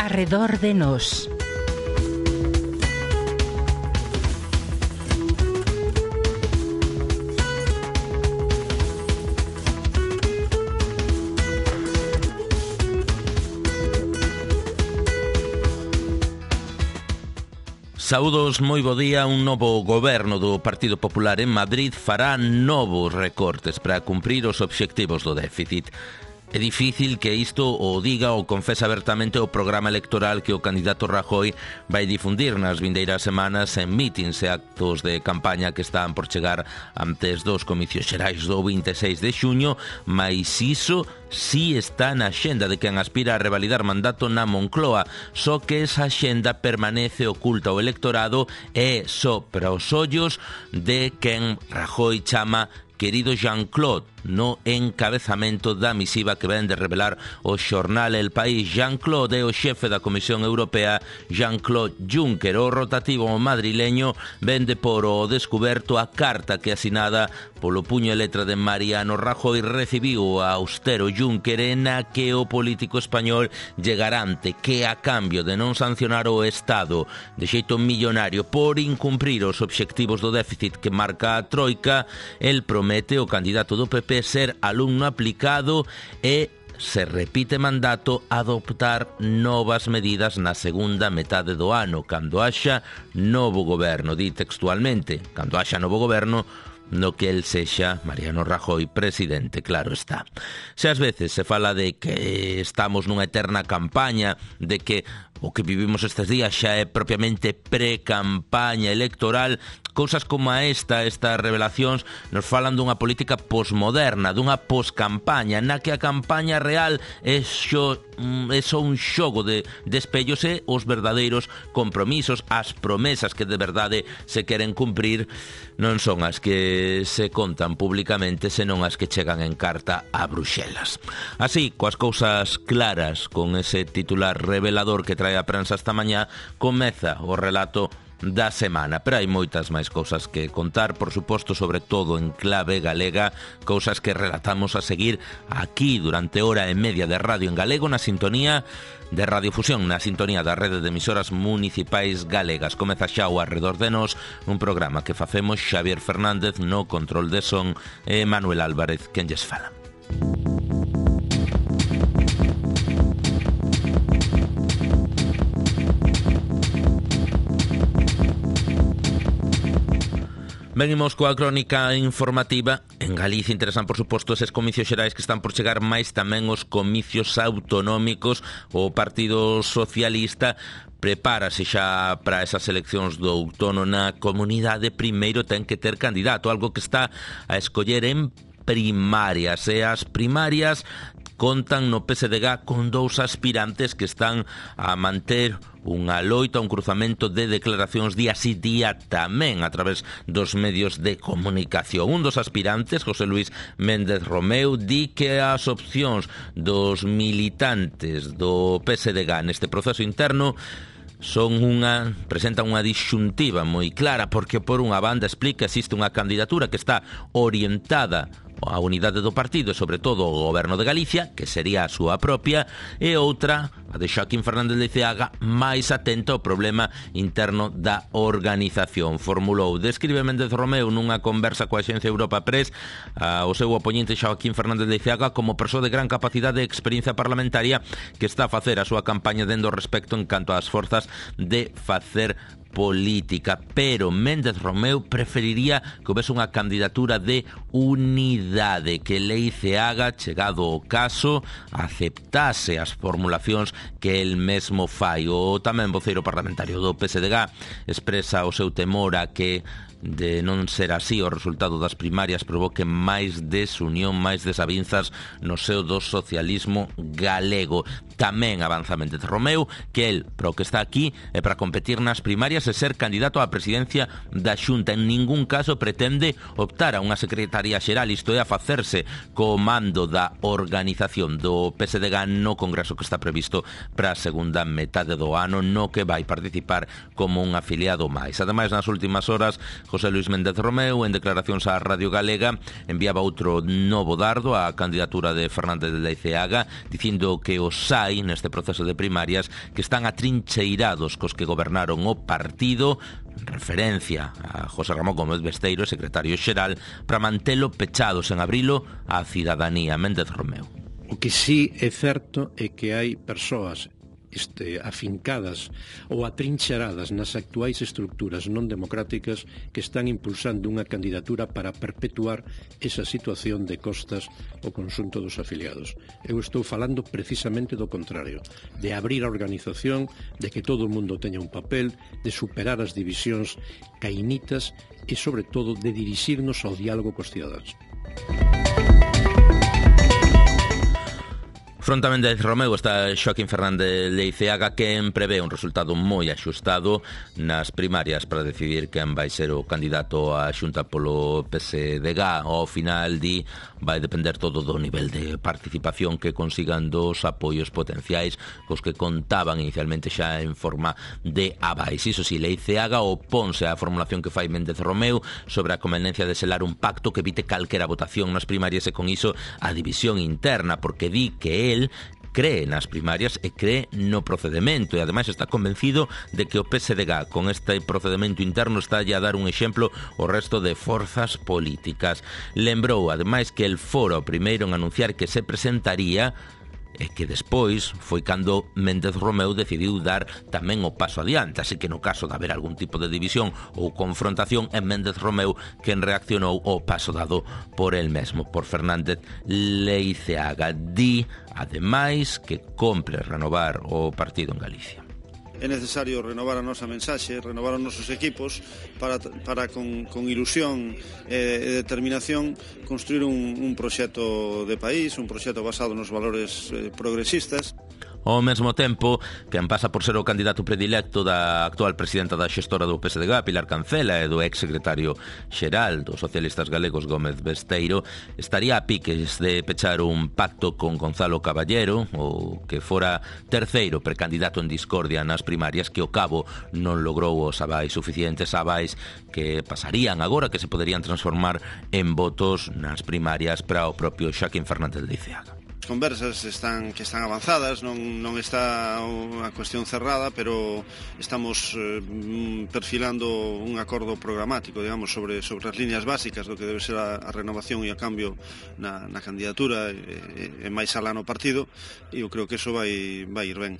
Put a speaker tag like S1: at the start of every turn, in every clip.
S1: Arredor de Nós.
S2: Saúdos, moi bo día. Un novo goberno do Partido Popular en Madrid fará novos recortes para cumprir os obxectivos do déficit. É difícil que isto o diga ou confese abertamente o programa electoral que o candidato Rajoy vai difundir nas vindeiras semanas en mítins e actos de campaña que están por chegar antes dos comicios xerais do 26 de xuño, mais iso si está na axenda de quen aspira a revalidar mandato na Moncloa, só que esa axenda permanece oculta ao electorado e só para os ollos de quen Rajoy chama querido Jean-Claude, no encabezamento da misiva que ven de revelar o xornal El País. Jean-Claude é o xefe da Comisión Europea, Jean-Claude Juncker. O rotativo madrileño vende por o descuberto a carta que asinada polo puño e letra de Mariano Rajoy recibiu a austero Juncker, na que o político español lle garante que a cambio de non sancionar o Estado de xeito millonario por incumprir os obxectivos do déficit que marca a Troika, el promete o candidato do PP ser alumno aplicado e, se repite mandato, adoptar novas medidas na segunda metade do ano, cando haxa novo goberno. Di textualmente, cando haxa novo goberno no que el sexa Mariano Rajoy presidente, claro está. Se ás veces se fala de que estamos nunha eterna campaña, de que o que vivimos estes días xa é propiamente pre-campaña electoral, cousas como estas revelacións nos falan dunha política posmoderna, dunha poscampaña, na que a campaña real é só un xogo de espellos e os verdadeiros compromisos, as promesas que de verdade se queren cumprir non son as que se contan públicamente, senón as que chegan en carta a Bruxelas. Así, coas cousas claras, con ese titular revelador que trae a prensa esta mañá, comeza o relato da semana, pero hai moitas máis cousas que contar, por suposto, sobre todo en clave galega, cousas que relatamos a seguir aquí durante hora e media de radio en galego na sintonía de Radiofusión, na sintonía da rede de emisoras municipais galegas. Comeza xa o Arredor de Nós, un programa que facemos Xavier Fernández no control de son e Manuel Álvarez quen lles fala. Venimos coa crónica informativa. En Galicia interesan, por suposto, eses comicios xerais que están por chegar, máis tamén os comicios autonómicos. O Partido Socialista prepárase xa para esas eleccións do outono na comunidade. Primeiro ten que ter candidato, algo que está a escoller en primarias. E as primarias contan no PSDG con dous aspirantes que están a manter unha loita, un cruzamento de declaracións día si día tamén a través dos medios de comunicación. Un dos aspirantes, José Luis Méndez Romeu, di que as opcións dos militantes do PSDG neste proceso interno presentan unha disxuntiva moi clara, porque por unha banda explica existe unha candidatura que está orientada a unidade do partido e sobre todo o goberno de Galicia, que sería a súa propia, e outra, a de Joaquín Fernández Leiceaga, máis atenta ao problema interno da organización. Formulou, describe Méndez Romeu nunha conversa coa Axencia Europa Press o seu oponente Joaquín Fernández Leiceaga como persoa de gran capacidade e experiencia parlamentaria que está a facer a súa campaña dendo respecto en canto ás forzas de facer política, pero Méndez Romeu preferiría que houvese unha candidatura de unidade, que Leiceaga, chegado o caso, aceptase as formulacións que el mesmo fai. O tamén voceiro parlamentario do PSDG expresa o seu temor a que, de non ser así, o resultado das primarias provoque máis desunión, máis desavinzas no seo do socialismo galego. Tamén avanza Méndez Romeu que el, para o que está aquí, é para competir nas primarias e ser candidato á presidencia da Xunta. En ningún caso pretende optar a unha secretaría xeral, isto é, a facerse co mando da organización do PSDG no congreso que está previsto para a segunda metade do ano, no que vai participar como un afiliado máis. Ademais, nas últimas horas, José Luis Méndez Romeu, en declaracións á Radio Galega, enviaba outro novo dardo á candidatura de Fernández de Leiceaga, dicindo que os hai neste proceso de primarias que están atrincheirados cos que gobernaron o partido, en referencia a José Ramón Gómez Besteiro, secretario xeral, para mantelo pechado sen abrilo á cidadanía. Méndez Romeu.
S1: O que sí é certo é que hai persoas afincadas ou atrincheradas nas actuais estructuras non democráticas que están impulsando unha candidatura para perpetuar esa situación de costas ao conxunto dos afiliados. Eu estou falando precisamente do contrario, de abrir a organización, de que todo o mundo teña un papel, de superar as divisións cainitas e, sobre todo, de dirixirnos ao diálogo cos cidadáns.
S2: Fronte a Méndez Romeu está Xoaquín Fernández Leiceaga, quen prevé un resultado moi axustado nas primarias para decidir quen vai ser o candidato á Xunta polo PSDG. Ao final vai depender todo do nivel de participación que consigan dos apoios potenciais cos que contaban inicialmente xa en forma de abais. Iso si, Leiceaga oponse á formulación que fai Méndez Romeu sobre a conveniencia de selar un pacto que evite calquera votación nas primarias e con iso a división interna, porque di que él cree nas primarias e cree no procedemento e ademais está convencido de que o PSDG con este procedemento interno está a dar un exemplo ao resto de forzas políticas. Lembrou ademais que el fora o primeiro en anunciar que se presentaría e que despois foi cando Méndez Romeu decidiu dar tamén o paso adiante, así que no caso de haber algún tipo de división ou confrontación é Méndez Romeu quen reaccionou ao paso dado por el mesmo, por Fernández Leiceaga. Di, ademais, que compre renovar o partido en Galicia.
S3: É necesario renovar a nosa mensaxe, renovar os nosos equipos para con ilusión e determinación construir un proxecto de país, un proxecto basado nos valores progresistas.
S2: Ao mesmo tempo, quen pasa por ser o candidato predilecto da actual presidenta da xestora do PSDG, Pilar Cancela, e do ex-secretario xeral dos socialistas galegos, Gómez Besteiro, estaría a piques de pechar un pacto con Gonzalo Caballero, o que fora terceiro precandidato en discordia nas primarias, que ao cabo non logrou os avais suficientes, avais que pasarían agora, que se poderían transformar en votos nas primarias para o propio Xoaquín Fernández Leiceaga.
S3: As conversas que están avanzadas, non está unha cuestión cerrada, pero estamos perfilando un acordo programático, digamos, sobre as líneas básicas do que debe ser a renovación e a cambio na candidatura e máis alá no partido, e eu creo que iso vai ir ben.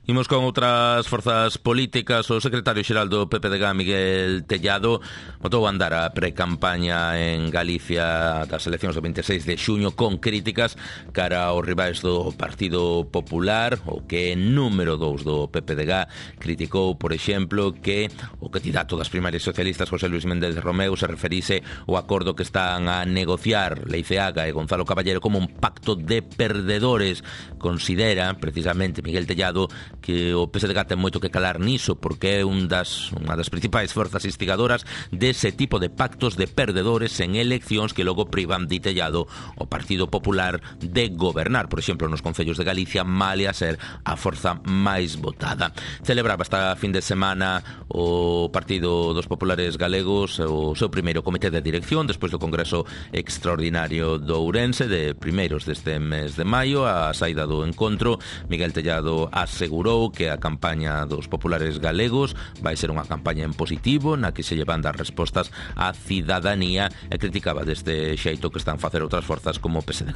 S2: Imos con outras forzas políticas. O secretario xeral do PPDG, Miguel Tellado, botou a andar a pre-campaña en Galicia das eleccións do 26 de xuño con críticas cara aos rivais do Partido Popular. O que número 2 do PPDG criticou, por exemplo, que o candidato das primarias socialistas, José Luis Méndez Romeu, se referise ao acordo que están a negociar Leiceaga e Gonzalo Caballero como un pacto de perdedores. Considera, precisamente, Miguel Tellado, que o PSDG ten moito que calar niso, porque é unha das principais forzas instigadoras dese tipo de pactos de perdedores en eleccións que logo privan, di Tellado, o Partido Popular de gobernar, por exemplo, nos concellos de Galicia, malia ser a forza máis votada. Celebraba esta fin de semana o Partido dos Populares Galegos o seu primeiro comité de dirección despois do Congreso Extraordinario do Ourense de primeiros deste mes de maio. A saída do encontro, Miguel Tellado asegurou que a campaña dos populares galegos vai ser unha campaña en positivo na que se llevan dar respostas á cidadanía e criticaba deste xeito que están a facer outras forzas como o PSDG.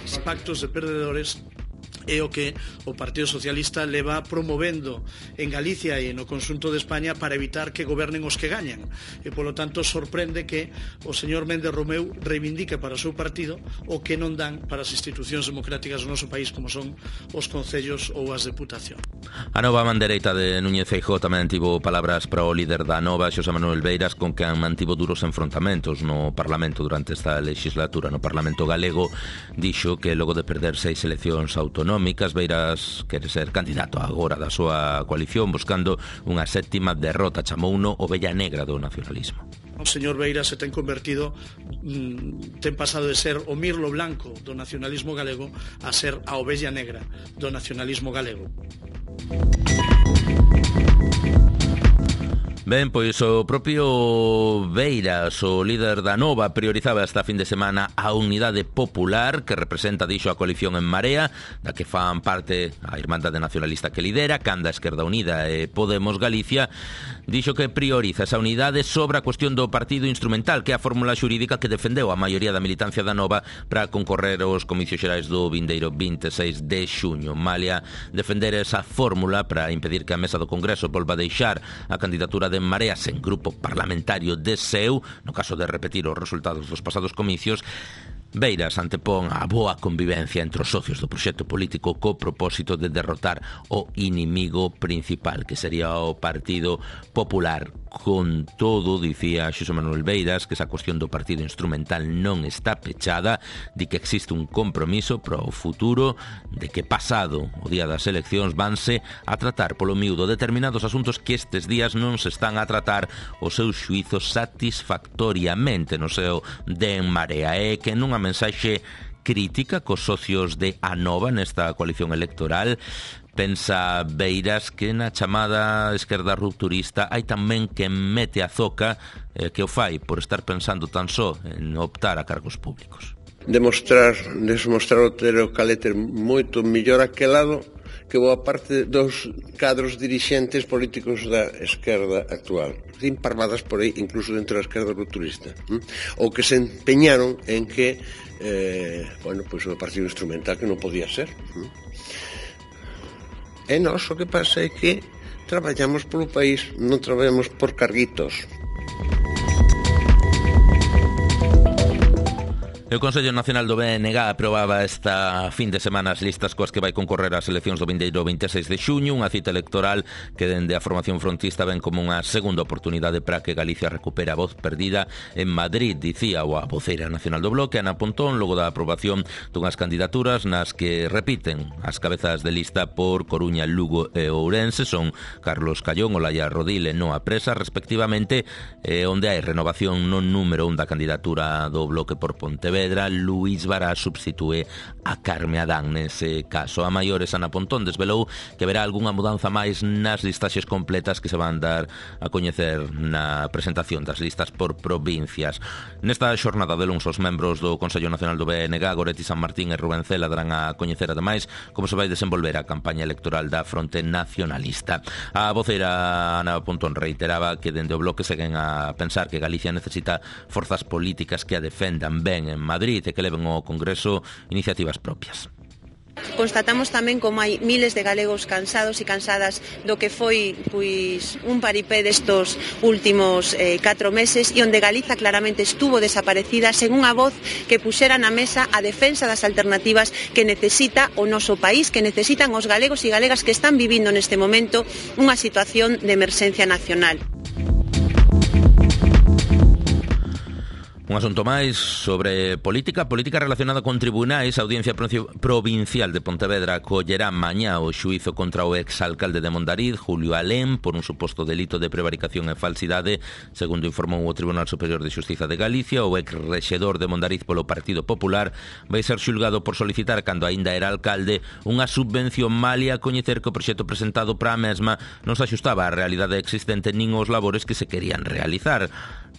S4: Os pactos de perdedores é o que o Partido Socialista leva promovendo en Galicia e no conxunto de España para evitar que gobernen os que gañan, e polo tanto sorprende que o señor Méndez Romeu reivindique para o seu partido o que non dan para as institucións democráticas do noso país, como son os concellos ou as deputacións.
S2: A nova mandereita de Núñez Feijóo tamén tivo palabras para o líder da Nova, Xosé Manuel Beiras, con quen mantivo duros enfrontamentos no Parlamento durante esta legislatura. No Parlamento galego dixo que logo de perder 6 eleccións autonómicas, Beiras quere ser candidato agora da súa coalición buscando unha 7ª derrota. Chamouno ovella negra do nacionalismo.
S4: o señor Beira se ten convertido, ten pasado de ser o mirlo blanco do nacionalismo galego a ser a ovella negra do nacionalismo galego.
S2: Ben, pois o propio Beiras, o líder da Nova, priorizaba esta fin de semana a unidade popular que representa, dixo, a coalición En Marea, da que fan parte a Irmandade Nacionalista que lidera, Canda, Esquerda Unida e Podemos Galicia. Dixo que prioriza esa unidade sobre a cuestión do partido instrumental, que é a fórmula xurídica que defendeu a maioría da militancia da Nova para concorrer aos comicios xerais do vindeiro 26 de xuño. Malia defender esa fórmula para impedir que a mesa do Congreso volva a deixar a candidatura de En Marea sen grupo parlamentario de seu, no caso de repetir os resultados dos pasados comicios, Beiras antepón a boa convivencia entre os socios do proxecto político co propósito de derrotar o inimigo principal, que sería o Partido Popular. Con todo, dicía Xosé Manuel Beiras, que esa cuestión do partido instrumental non está pechada, de que existe un compromiso para o futuro, de que pasado o día das eleccións vanse a tratar polo miúdo determinados asuntos que estes días non se están a tratar os seus xuizos satisfactoriamente no seu de En Marea, e que nunha mensaxe crítica cos socios de Anova nesta coalición electoral pensa Beiras que na chamada esquerda rupturista hai tamén que mete a zoca que o fai por estar pensando tan só en optar a cargos públicos.
S5: Demostrar o ter o carácter moito mellor aquelado que boa parte dos cadros dirixentes políticos da esquerda actual. Sin parvadas por aí, incluso dentro da esquerda rupturista. Ou que se empeñaron en que o partido instrumental que non podía ser. E nós o que pasa é que traballamos polo país, non traballamos por carguitos.
S2: O Consello Nacional do BNG aprobaba esta fin de semana as listas coas que vai concorrer ás eleccións do vindeiro 26 de xuño, unha cita electoral que dende a formación frontista ven como unha segunda oportunidade para que Galicia recupere a voz perdida en Madrid, dicía a voceira nacional do Bloque, Ana Pontón, logo da aprobación dunhas candidaturas nas que repiten as cabezas de lista por Coruña, Lugo e Ourense, son Carlos Callón, Olaya Rodil e Noa Presa, respectivamente, onde hai renovación no número 1 da candidatura do Bloque por Pontevedra. Luís Bará substitúe a Carme Adán nese caso. A maiores, Ana Pontón desvelou que verá algunha mudanza máis nas listaxes completas que se van dar a coñecer na presentación das listas por provincias. Nesta xornada de luns, os membros do Consello Nacional do BNG, Goretti San Martín e Rubén Cela, darán a coñecer ademais como se vai desenvolver a campaña electoral da Fronte Nacionalista. A voceira Ana Pontón reiteraba que dende o Bloque seguen a pensar que Galicia necesita forzas políticas que a defendan ben en Madrid e que leven ao Congreso iniciativas propias.
S6: Constatamos tamén como hai miles de galegos cansados e cansadas do que foi un paripé destos últimos 4 meses e onde Galiza claramente estuvo desaparecida sen unha voz que puxera na mesa a defensa das alternativas que necesita o noso país, que necesitan os galegos e galegas que están vivindo neste momento unha situación de emerxencia nacional.
S2: Un asunto máis sobre política relacionada con tribunais. A Audiencia Provincial de Pontevedra acollerá mañá o xuízo contra o exalcalde de Mondariz, Julio Alén, por un suposto delito de prevaricación e falsidade, segundo informou o Tribunal Superior de Xustiza de Galicia. O exrexedor de Mondariz polo Partido Popular vai ser xulgado por solicitar, cando aínda era alcalde, unha subvención malia a coñecer que o proxecto presentado para a mesma non se axustaba á realidade existente nin aos labores que se querían realizar.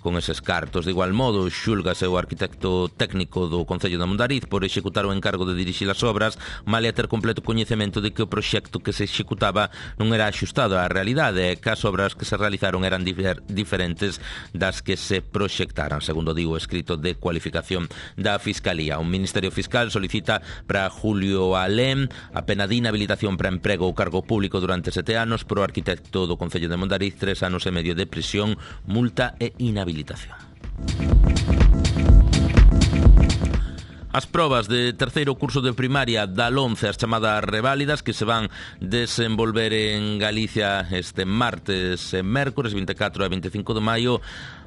S2: Con eses cartos, de igual modo, xúlgase o arquitecto técnico do Concello de Mondariz por executar o encargo de dirixir as obras, malia ter completo coñecemento de que o proxecto que se executaba non era axustado á realidade e que as obras que se realizaron eran diferentes das que se proxectaran, segundo digo o escrito de cualificación da Fiscalía. O Ministerio Fiscal solicita para Julio Alén a pena de inhabilitación para emprego ou cargo público durante 7 anos, pro arquitecto do Concello de Mondariz 3 anos e medio de prisión, multa e inhabilitación. As probas de terceiro curso de primaria da LOMCE, as chamadas reválidas, que se van desenvolver en Galicia este martes e mércores 24 e 25 de maio,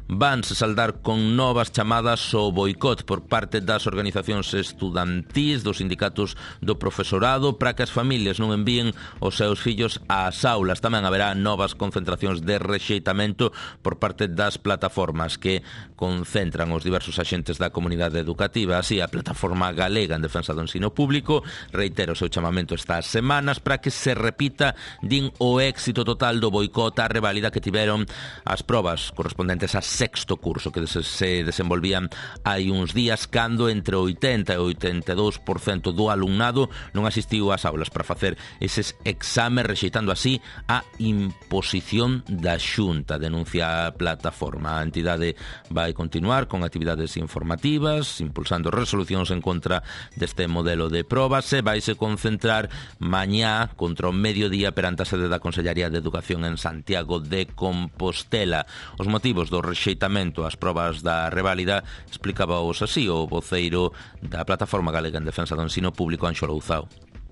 S2: vanse saldar con novas chamadas ao boicot por parte das organizacións estudantís, dos sindicatos do profesorado, para que as familias non envíen os seus fillos ás aulas. Tamén haberá novas concentracións de rexeitamento por parte das plataformas que concentran os diversos axentes da comunidade educativa. Así, a Plataforma Galega en Defensa do Ensino Público reitera o seu chamamento estas semanas para que se repita, din, o éxito total do boicot á reválida que tiveron as probas correspondentes a sexto curso que se desenvolvían hai uns días, cando entre 80 e 82% do alumnado non asistiu ás aulas para facer eses exames, rexeitando así a imposición da Xunta, denuncia a plataforma. A entidade vai continuar con actividades informativas, impulsando resolucións en contra deste modelo de probas e vaise concentrar mañá contra o mediodía perante a sede da Consellería de Educación en Santiago de Compostela. Os motivos do rexeitamento ás probas da reválida explicábaos así o voceiro da Plataforma Galega en Defensa do Ensino Público, Anxo Louzao.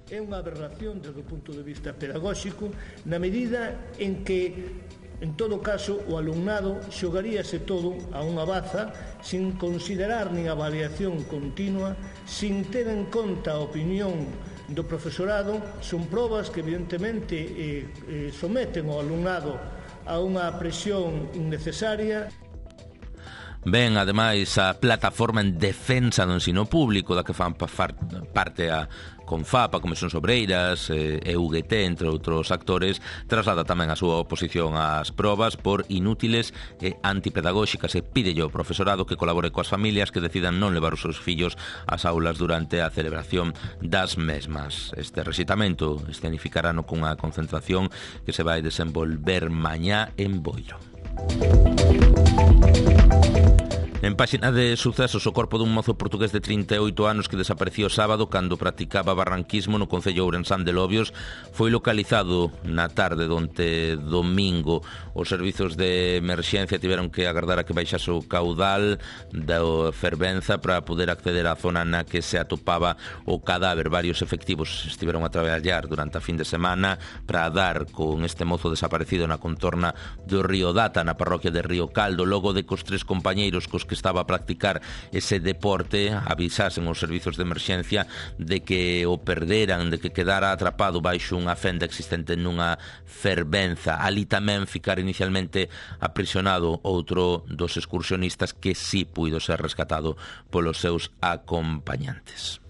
S7: É unha aberración desde o punto de vista pedagóxico na medida en que, en todo caso, o alumnado xogaríase todo a unha baza sin considerar nin avaliación continua, sin ter en conta a opinión do profesorado. Son probas que evidentemente someten ao alumnado a unha presión innecesaria.
S2: Ben, ademais, a Plataforma en Defensa do Ensino Público, da que fan parte a Confap, a Comisión Obreiras e UGT, entre outros actores, traslada tamén a súa oposición ás probas por inútiles e antipedagóxicas e pídelle ao profesorado que colabore coas familias que decidan non levar os seus fillos ás aulas durante a celebración das mesmas. Este rexeitamento escenificarano cunha concentración que se vai desenvolver mañá en Boiro. En páxina de sucesos, o corpo dun mozo portugués de 38 anos que desapareció sábado cando practicaba barranquismo no concello ourensán de Lobios foi localizado na tarde donte domingo. Os servizos de emerxencia tiveron que agardar a que baixase o caudal da fervenza para poder acceder á zona na que se atopaba o cadáver. Varios efectivos estiveron a traballar durante a fin de semana para dar con este mozo desaparecido na contorna do río Data, na parroquia de Río Caldo, logo de que os tres compañeiros cos que estaba a practicar ese deporte avisasen os servizos de emerxencia de que o perderan, de que quedara atrapado baixo unha fenda existente nunha fervenza. Ali tamén ficara inicialmente aprisionado outro dos excursionistas que sí puido ser rescatado polos seus acompañantes.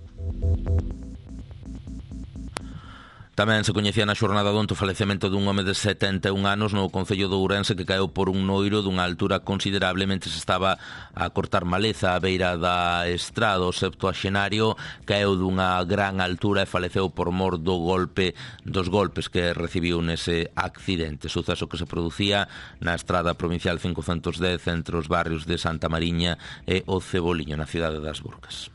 S2: Tamén se coñecía na xornada donte o falecemento dun home de 71 anos no concello de Ourense que caeu por un noiro dunha altura considerable mentre se estaba a cortar maleza á beira da estrada. O septuaxenario caeu dunha gran altura e faleceu por mor dos golpes que recibiu nese accidente. Suceso que se producía na estrada provincial 510 entre os barrios de Santa Mariña e o Ceboliño, na cidade das Burgas.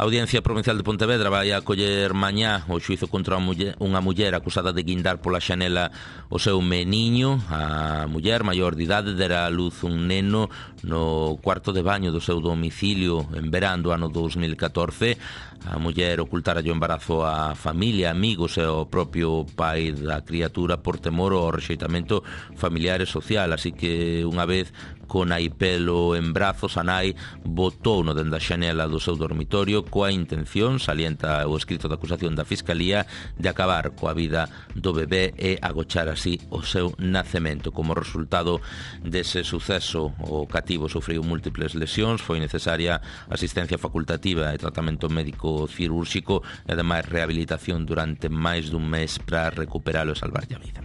S2: A Audiencia Provincial de Pontevedra vai acoller mañá o xuizo contra unha muller acusada de guindar pola xanela o seu meniño. A muller maior de idade dera a luz un neno no cuarto de baño do seu domicilio en verán do ano 2014. A muller ocultara o embarazo á familia, amigos e ao propio pai da criatura por temor ao rexeitamento familiar e social, así que unha vez con Aipelo en brazos, a nai botouno dende a xanela do seu dormitorio coa intención, salienta o escrito de acusación da Fiscalía, de acabar coa vida do bebé e agochar así o seu nacemento. Como resultado dese suceso, o cativo sufriu múltiples lesións, foi necesaria asistencia facultativa e tratamento médico cirúrxico e ademais rehabilitación durante máis dun mes para recuperalo e salvarlle a vida.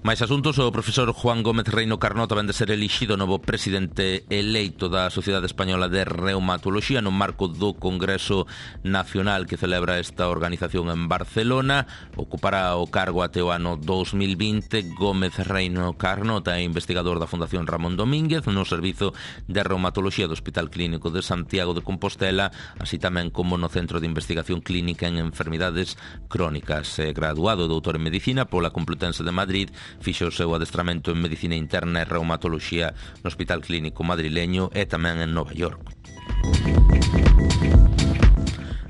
S2: Mais asuntos, o profesor Juan Gómez Reino Carnota vén de ser elixido novo presidente eleito da Sociedade Española de Reumatoloxía no marco do Congreso Nacional que celebra esta organización en Barcelona. Ocupará o cargo até o ano 2020. Gómez Reino Carnota é investigador da Fundación Ramón Domínguez no Servizo de Reumatoloxía do Hospital Clínico de Santiago de Compostela, así tamén como no Centro de Investigación Clínica en Enfermidades Crónicas. Graduado e doutor en Medicina pola Complutense de Madrid, fixo o seu adestramento en Medicina Interna e Reumatoloxía no Hospital Clínico madrileño e tamén en Nova York.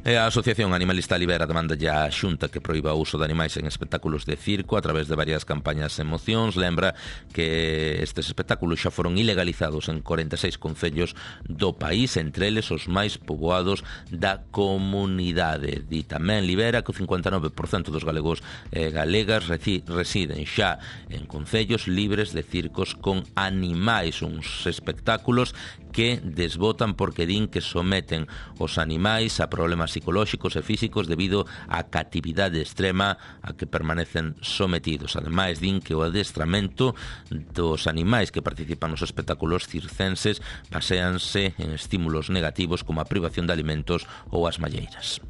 S2: E a Asociación Animalista Libera demanda ya a Xunta que proíba o uso de animais en espectáculos de circo a través de varias campañas e mocións. Lembra que estes espectáculos xa foron ilegalizados en 46 concellos do país, entre eles os máis poboados da comunidade. Di tamén Libera que o 59% dos galegos e galegas residen xa en concellos libres de circos con animais, uns espectáculos que desbotan porque din que someten os animais a problemas psicolóxicos e físicos debido á catividade extrema a que permanecen sometidos. Ademais, din que o adestramento dos animais que participan nos espectáculos circenses baséanse en estímulos negativos como a privación de alimentos ou as malleiras.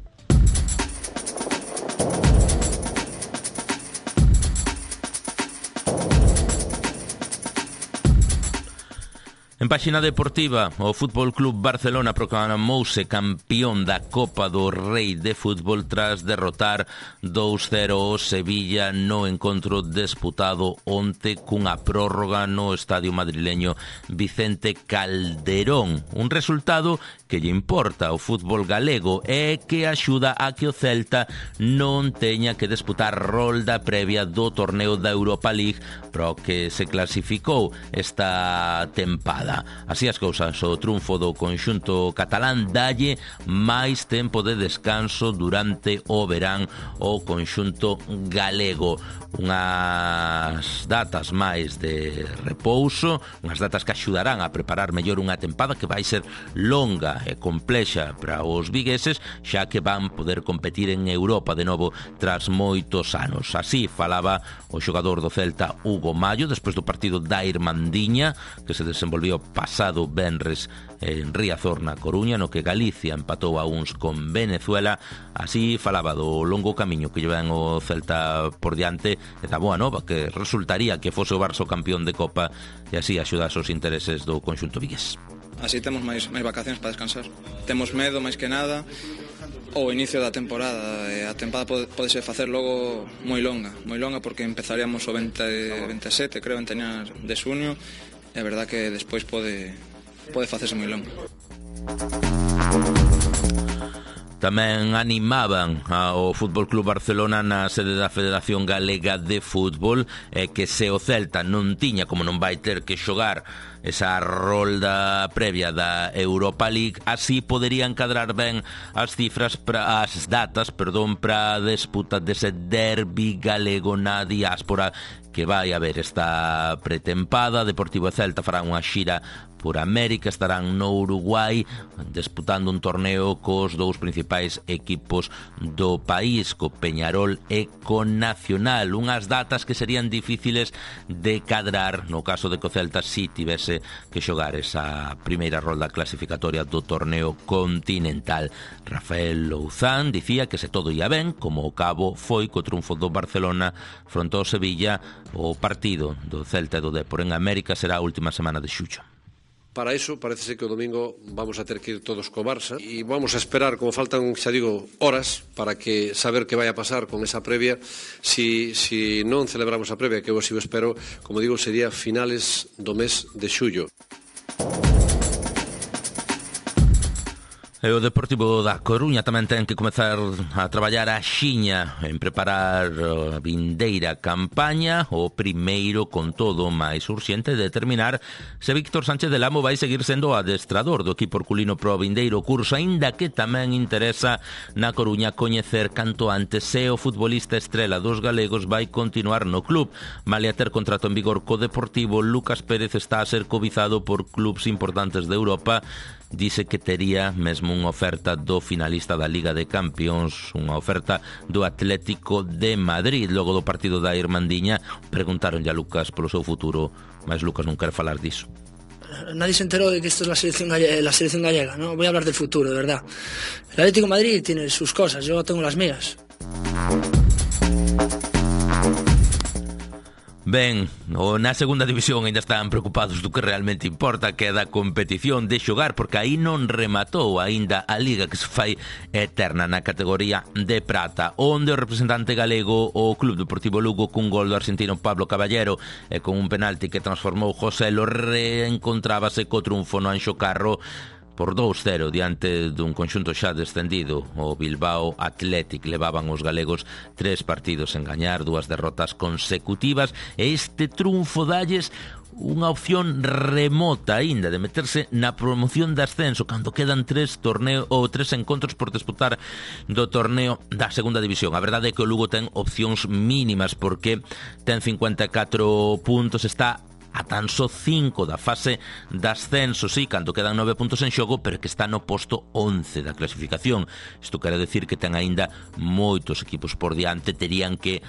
S2: En páxina deportiva, o Fútbol Club Barcelona proclamouse campeón da Copa do Rei de Fútbol tras derrotar 2-0 o Sevilla no encontro disputado onte cunha prórroga no estadio madrileño Vicente Calderón. Un resultado que lle importa ao fútbol galego e que axuda a que o Celta non teña que disputar rolda previa do torneo da Europa League pro que se clasificou esta tempada. Así as cousas, o triunfo do conxunto catalán dalle máis tempo de descanso durante o verán o conxunto galego. Unhas datas máis de repouso, unhas datas que axudarán a preparar mellor unha tempada que vai ser longa e complexa para os vigueses, xa que van poder competir en Europa de novo tras moitos anos. Así falaba o xogador do Celta Hugo Mallo despois do partido da Irmandiña que se desenvolveu pasado venres en Riazor na Coruña, no que Galicia empatou a uns con Venezuela. Así falaba do longo camiño que llevan o Celta por diante e da boa nova que resultaría que fose o Barça campeón de Copa e así axudase os intereses do conxunto vigués.
S8: Así temos máis vacacións para descansar. Temos medo máis que nada o inicio da temporada. A temporada podese facer logo moi longa porque empezaríamos o 27, creo, en teñar de xuño. É verdad que despois pode facerse moi longo.
S2: Tamén animaban ao Fútbol Club Barcelona na sede da Federación Galega de Fútbol que se o Celta non tiña, como non vai ter que xogar esa rolda previa da Europa League, así poderían cadrar ben as datas para a disputa dese derbi galego na diáspora que vai haber esta pretempada. Deportivo e Celta farán unha xira por América, estarán no Uruguai disputando un torneo cos dous principais equipos do país, co Peñarol e co Nacional. Unhas datas que serían difíciles de cadrar no caso de que o Celta si tivese que xogar esa primeira rolda clasificatoria do torneo continental. Rafael Louzán dicía que se todo ia ben, como o cabo foi co triunfo do Barcelona fronte ao Sevilla, o partido do Celta e do Depor en América será a última semana de xullo.
S9: Para iso, parece ser que o domingo vamos a ter que ir todos co Barça e vamos a esperar, como faltan, xa digo, horas para que saber que vai a pasar con esa previa. Si non celebramos a previa, que eu así o espero, como digo, sería finales do mes de xullo.
S2: E o Deportivo da Coruña tamén ten que comezar a traballar a xiña en preparar a vindeira campaña. O primeiro, con todo, máis urxente de determinar se Víctor Sánchez del Amo vai seguir sendo o adestrador do equipo herculino pro vindeiro curso, aínda que tamén interesa na Coruña coñecer canto antes se o futbolista estrela dos galegos vai continuar no club. Malia ter contrato en vigor co Deportivo, Lucas Pérez está a ser cobizado por clubs importantes de Europa. Dice que tería mesmo unha oferta do finalista da Liga de Campións, unha oferta do Atlético de Madrid. Logo do partido da Irmandiña preguntaronlle a Lucas polo seu futuro, mas Lucas non quere falar diso.
S10: Nadie se enteró de que esto es la selección gallega, ¿no? Voy a hablar del futuro, de verdad. El Atlético de Madrid tiene sus cosas, yo tengo las mías.
S2: Ben, na segunda división ainda están preocupados do que realmente importa, que é da competición de xogar, porque aí non rematou ainda a liga que se fai eterna na categoría de prata, onde o representante galego, o Club Deportivo Lugo, cun gol do argentino Pablo Caballero e con un penalti que transformou José Lo, reencontrábase co triunfo no Anxo Carro por 2-0 diante dun conxunto xa descendido. O Bilbao Athletic levaban os galegos 3 partidos en gañar, 2 derrotas consecutivas, e este triunfo dalles unha opción remota aínda de meterse na promoción de ascenso cando quedan 3 encontros por disputar do torneo da segunda división. A verdade é que o Lugo ten opcións mínimas porque ten 54 puntos, está a tan só 5 da fase de ascenso, sí, cando quedan 9 puntos en xogo, pero que está no posto 11 da clasificación. Isto quere decir que ten aínda moitos equipos por diante, terían que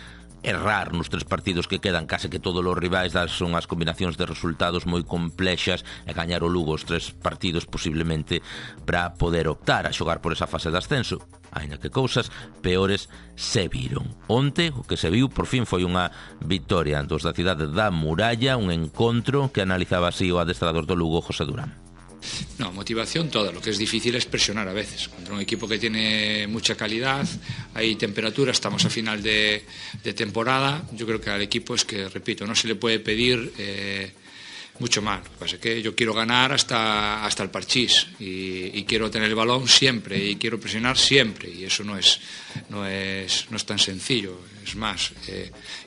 S2: errar nos 3 partidos que quedan, case que todos os rivais son as combinacións de resultados moi complexas, e gañar o Lugo os 3 partidos posiblemente para poder optar a xogar por esa fase de ascenso, aínda que cousas peores se viron. Onte o que se viu por fin foi unha vitoria dos da cidade da Muralla, un encontro que analizaba así o adestrador do Lugo, José Durán.
S11: No, motivación toda, lo que es difícil es presionar a veces contra un equipo que tiene mucha calidad, hay temperatura, estamos a final de temporada. Yo creo que al equipo es que, repito, no se le puede pedir mucho más. Lo que pasa es que yo quiero ganar hasta el parchís y quiero tener el balón siempre y quiero presionar siempre, y eso no es tan sencillo. Es más,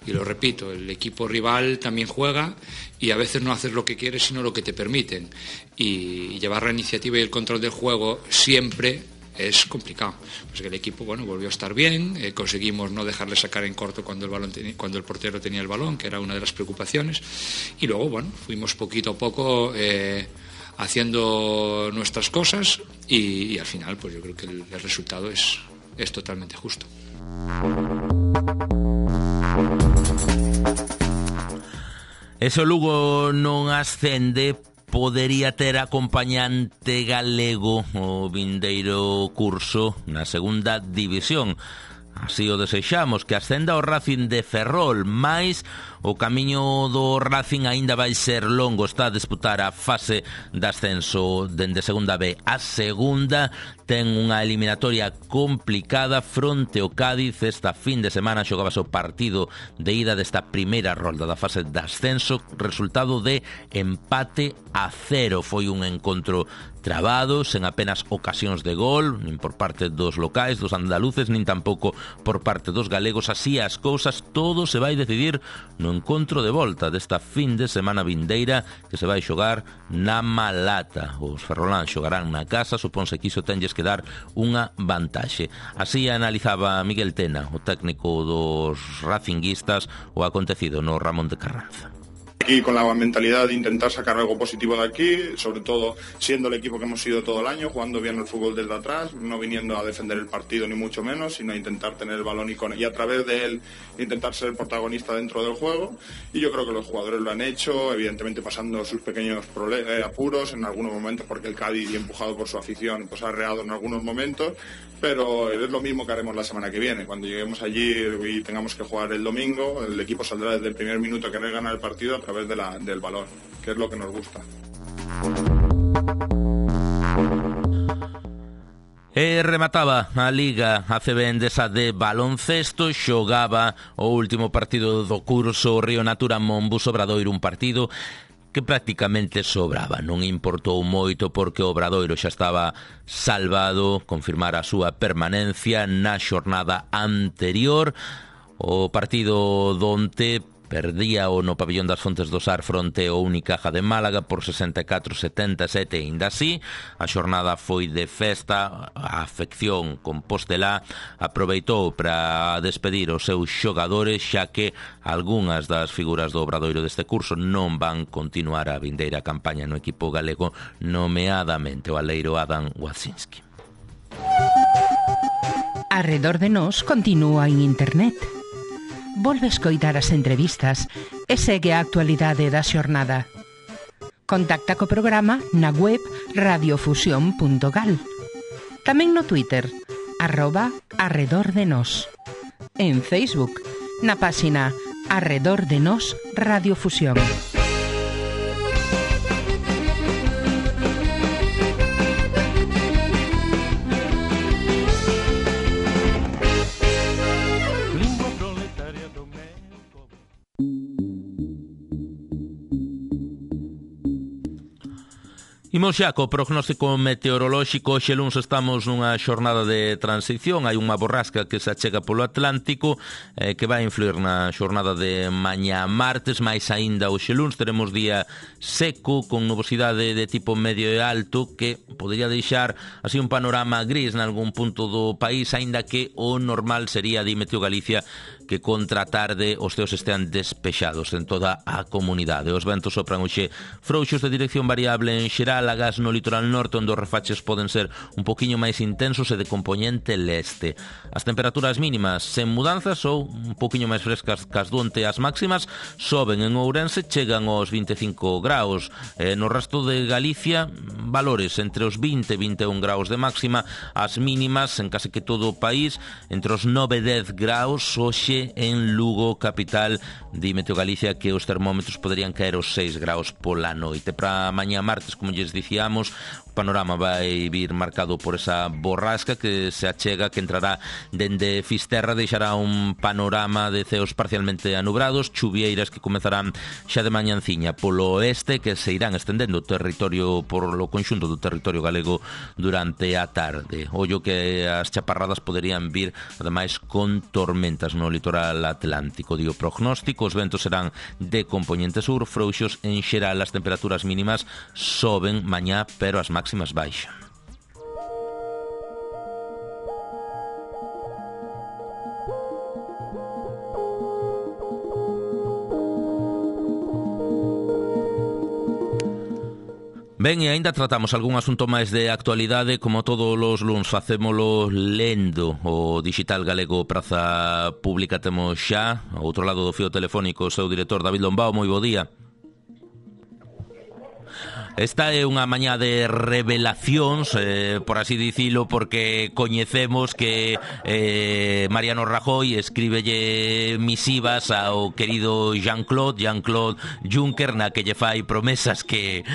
S11: y lo repito, el equipo rival también juega y a veces no haces lo que quieres sino lo que te permiten, y llevar la iniciativa y el control del juego siempre es complicado. Pues que el equipo, bueno, volvió a estar bien, conseguimos no dejarle sacar en corto cuando el portero tenía el balón, que era una de las preocupaciones, y luego, bueno, fuimos poquito a poco haciendo nuestras cosas, y al final, pues yo creo que el resultado es totalmente justo.
S2: Ese Lugo non ascende, podería ter acompañante galego o vindeiro curso na segunda división. Así o desexamos, que ascenda o Racing de Ferrol, mais o camiño do Racing aínda vai ser longo. Está a disputar a fase de ascenso dende segunda B a segunda. Ten unha eliminatoria complicada fronte ao Cádiz. Esta fin de semana xogabas o partido de ida desta primeira rolda da fase de ascenso, resultado de empate a 0. Foi un encontro trabado, sen apenas ocasións de gol, nin por parte dos locais, dos andaluces, nin tampouco por parte dos galegos. Así as cousas, todo se vai decidir no encontro de volta desta fin de semana vindeira, que se vai xogar na Malata. Os ferroláns xogarán na casa, suponse que iso tenlles que dar unha vantaxe. Así analizaba Miguel Tena, o técnico dos racinguistas, o acontecido no Ramón de Carranza.
S12: Y con la mentalidad de intentar sacar algo positivo de aquí, sobre todo siendo el equipo que hemos sido todo el año, jugando bien el fútbol desde atrás, no viniendo a defender el partido ni mucho menos, sino a intentar tener el balón y a través de él intentar ser el protagonista dentro del juego. Y yo creo que los jugadores lo han hecho, evidentemente pasando sus pequeños apuros en algunos momentos, porque el Cádiz, y empujado por su afición, pues ha reado en algunos momentos, pero es lo mismo que haremos la semana que viene. Cuando lleguemos allí y tengamos que jugar el domingo, el equipo saldrá desde el primer minuto a querer ganar el partido a través del balón, que es lo que nos gusta.
S2: E remataba a Liga ACB Endesa de baloncesto, xogaba o último partido do curso Río Natura Monbus Obradoiro, un partido que prácticamente sobraba. Non importou moito porque o Obradoiro xa estaba salvado, confirmar a súa permanencia na xornada anterior. O partido donte perdía o no pabellón das Fontes do Sar fronte ao Unicaja de Málaga por 64-77, e ainda así a xornada foi de festa. A afección compostelá aproveitou para despedir os seus xogadores, xa que algunhas das figuras do Obradoiro deste curso non van continuar a vindeira campaña no equipo galego, nomeadamente o aleiro Adam Wacinski.
S13: Arredor de nós continúa en internet. Volve escoitar as entrevistas e segue a actualidade da xornada. Contacta co programa na web radiofusión.gal. Tamén no Twitter, @arredordenos. En Facebook, na páxina Arredor de Nos Radiofusión.
S2: Imos xa co prognóstico meteorolóxico. Hoxe luns estamos nunha xornada de transición. Hai unha borrasca que se achega polo Atlántico que vai influir na xornada de mañá martes. Mais aínda hoxe luns teremos día seco con nubosidade de tipo medio e alto que podría deixar así un panorama gris nalgún punto do país, aínda que o normal sería, di Meteo Galicia, que contra a tarde os ceos estean despexados en toda a comunidade. Os ventos sopran hoxe frouxos de dirección variable en xeral, agás no litoral norte, onde os refaches poden ser un poquinho máis intensos e de compoñente leste. As temperaturas mínimas sen mudanzas ou un poquinho máis frescas cas do onte. As máximas soben en Ourense, chegan aos 25 graus. No resto de Galicia, valores entre os 20 e 21 graus de máxima. As mínimas en case que todo o país entre os 9 e 10 graus. Hoxe en Lugo, capital, di Meteo Galicia que os termómetros poderían caer os 6 graus pola noite. Para mañá martes, como lles dicíamos, o panorama vai vir marcado por esa borrasca que se achega, que entrará dende Fisterra, deixará un panorama de ceos parcialmente anubrados, chuvieiras que comezarán xa de mañanciña polo oeste, que se irán estendendo o territorio por lo conxunto do territorio galego durante a tarde. Ollo que as chaparradas poderían vir, ademais, con tormentas no litoral atlántico. Dio prognóstico, os ventos serán de compoñente sur, frouxos en xeral. As temperaturas mínimas soben mañá, pero as máximas baixan. Ben, e aínda tratamos algún asunto máis de actualidade. Como todos os luns facémolo lendo o digital galego Praza Pública. Temos xa ao outro lado do fío telefónico o seu director David Lombao. Moi bo día. Esta é unha mañá de revelacións, por así dicilo, porque coñecemos que Mariano Rajoy escríbelle misivas ao querido Jean-Claude Juncker, na que lle fai promesas que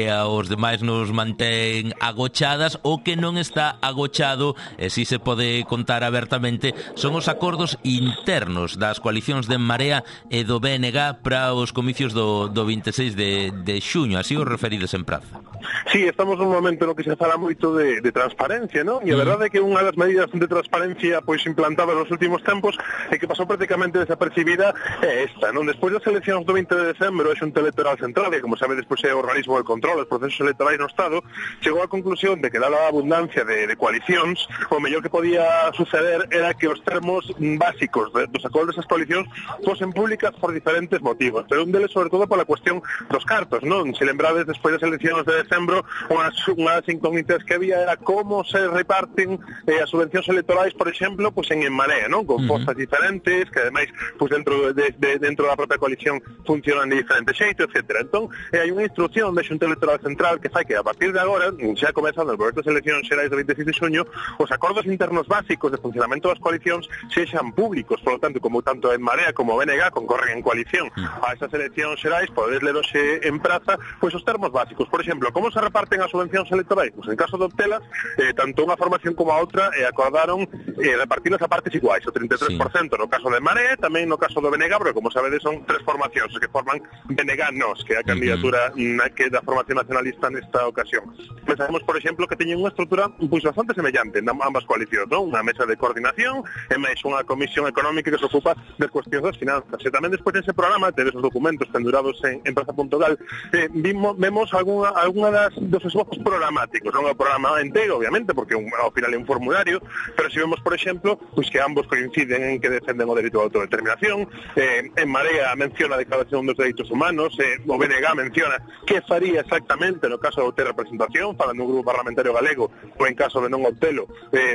S2: aos demais nos mantén agochadas. O que non está agochado, e si se pode contar abertamente, son os acordos internos das coalicións de Marea e do BNG para os comicios do 26 de xuño. Así os referides en Praza.
S14: Sí, estamos nun momento no que se fala moito de transparencia, non? E a verdade é que unha das medidas de transparencia pois implantadas nos últimos tempos e que pasou prácticamente desapercibida é esta, non? Despois das eleccións do 20 de decembro, a Xunta Electoral Central, que como sabe despois é o organismo de control dos procesos electorais no Estado, chegou á conclusión de que dada a abundancia de coalicións, o mellor que podía suceder era que os termos básicos dos acordos das coalicións fosen públicas por diferentes motivos, pero un deles sobre todo pola cuestión dos cartos, non? Se lembrades, despois das eleccións de decembro, unhas incógnitas que había era como se reparten as subvencións electorais, por exemplo, pues en Marea, non? Con postas diferentes, que ademais pues dentro da propia coalición funcionan de diferente xeito, etc. Entón, hai unha instrucción da Xunta Electoral Central que fai que a partir de agora, xa comezando por estas eleccións xerais do 26 de xuño, os acordos internos básicos de funcionamento das coalicións sexan públicos. Por lo tanto, como tanto en Marea como BNG concorren en coalición a esas eleccións xerais, podedes ler hoxe en Praza pues os termos básicos. Por exemplo, como se reparten as subvencións electorais? Pues en caso de obtelas, tanto unha formación como a outra acordaron repartirlas a partes iguais, o 33% no caso de Marea, tamén no caso do BNG, porque como sabedes son tres formacións que forman BNG-NOS, que é a candidatura que da formación nacionalista nesta ocasión. Pensamos, por exemplo, que teñen unha estrutura pois bastante semellante en ambas coalicións, non? Unha mesa de coordinación e máis unha comisión económica que se ocupa das cuestións das finanzas. E tamén despois dese programa, tedes os documentos pendurados en Praza.gal, vemos algunha dos esbozos programáticos, non o programa inteiro, obviamente, porque ao final é un formulario, pero si vemos, por exemplo, pues que ambos coinciden en que defenden o dereito a autodeterminación, en Marea menciona a declaración dos dereitos humanos, o BNG menciona que faría exactamente no caso de obter representación, falando un grupo parlamentario galego, ou en caso de non obtelo,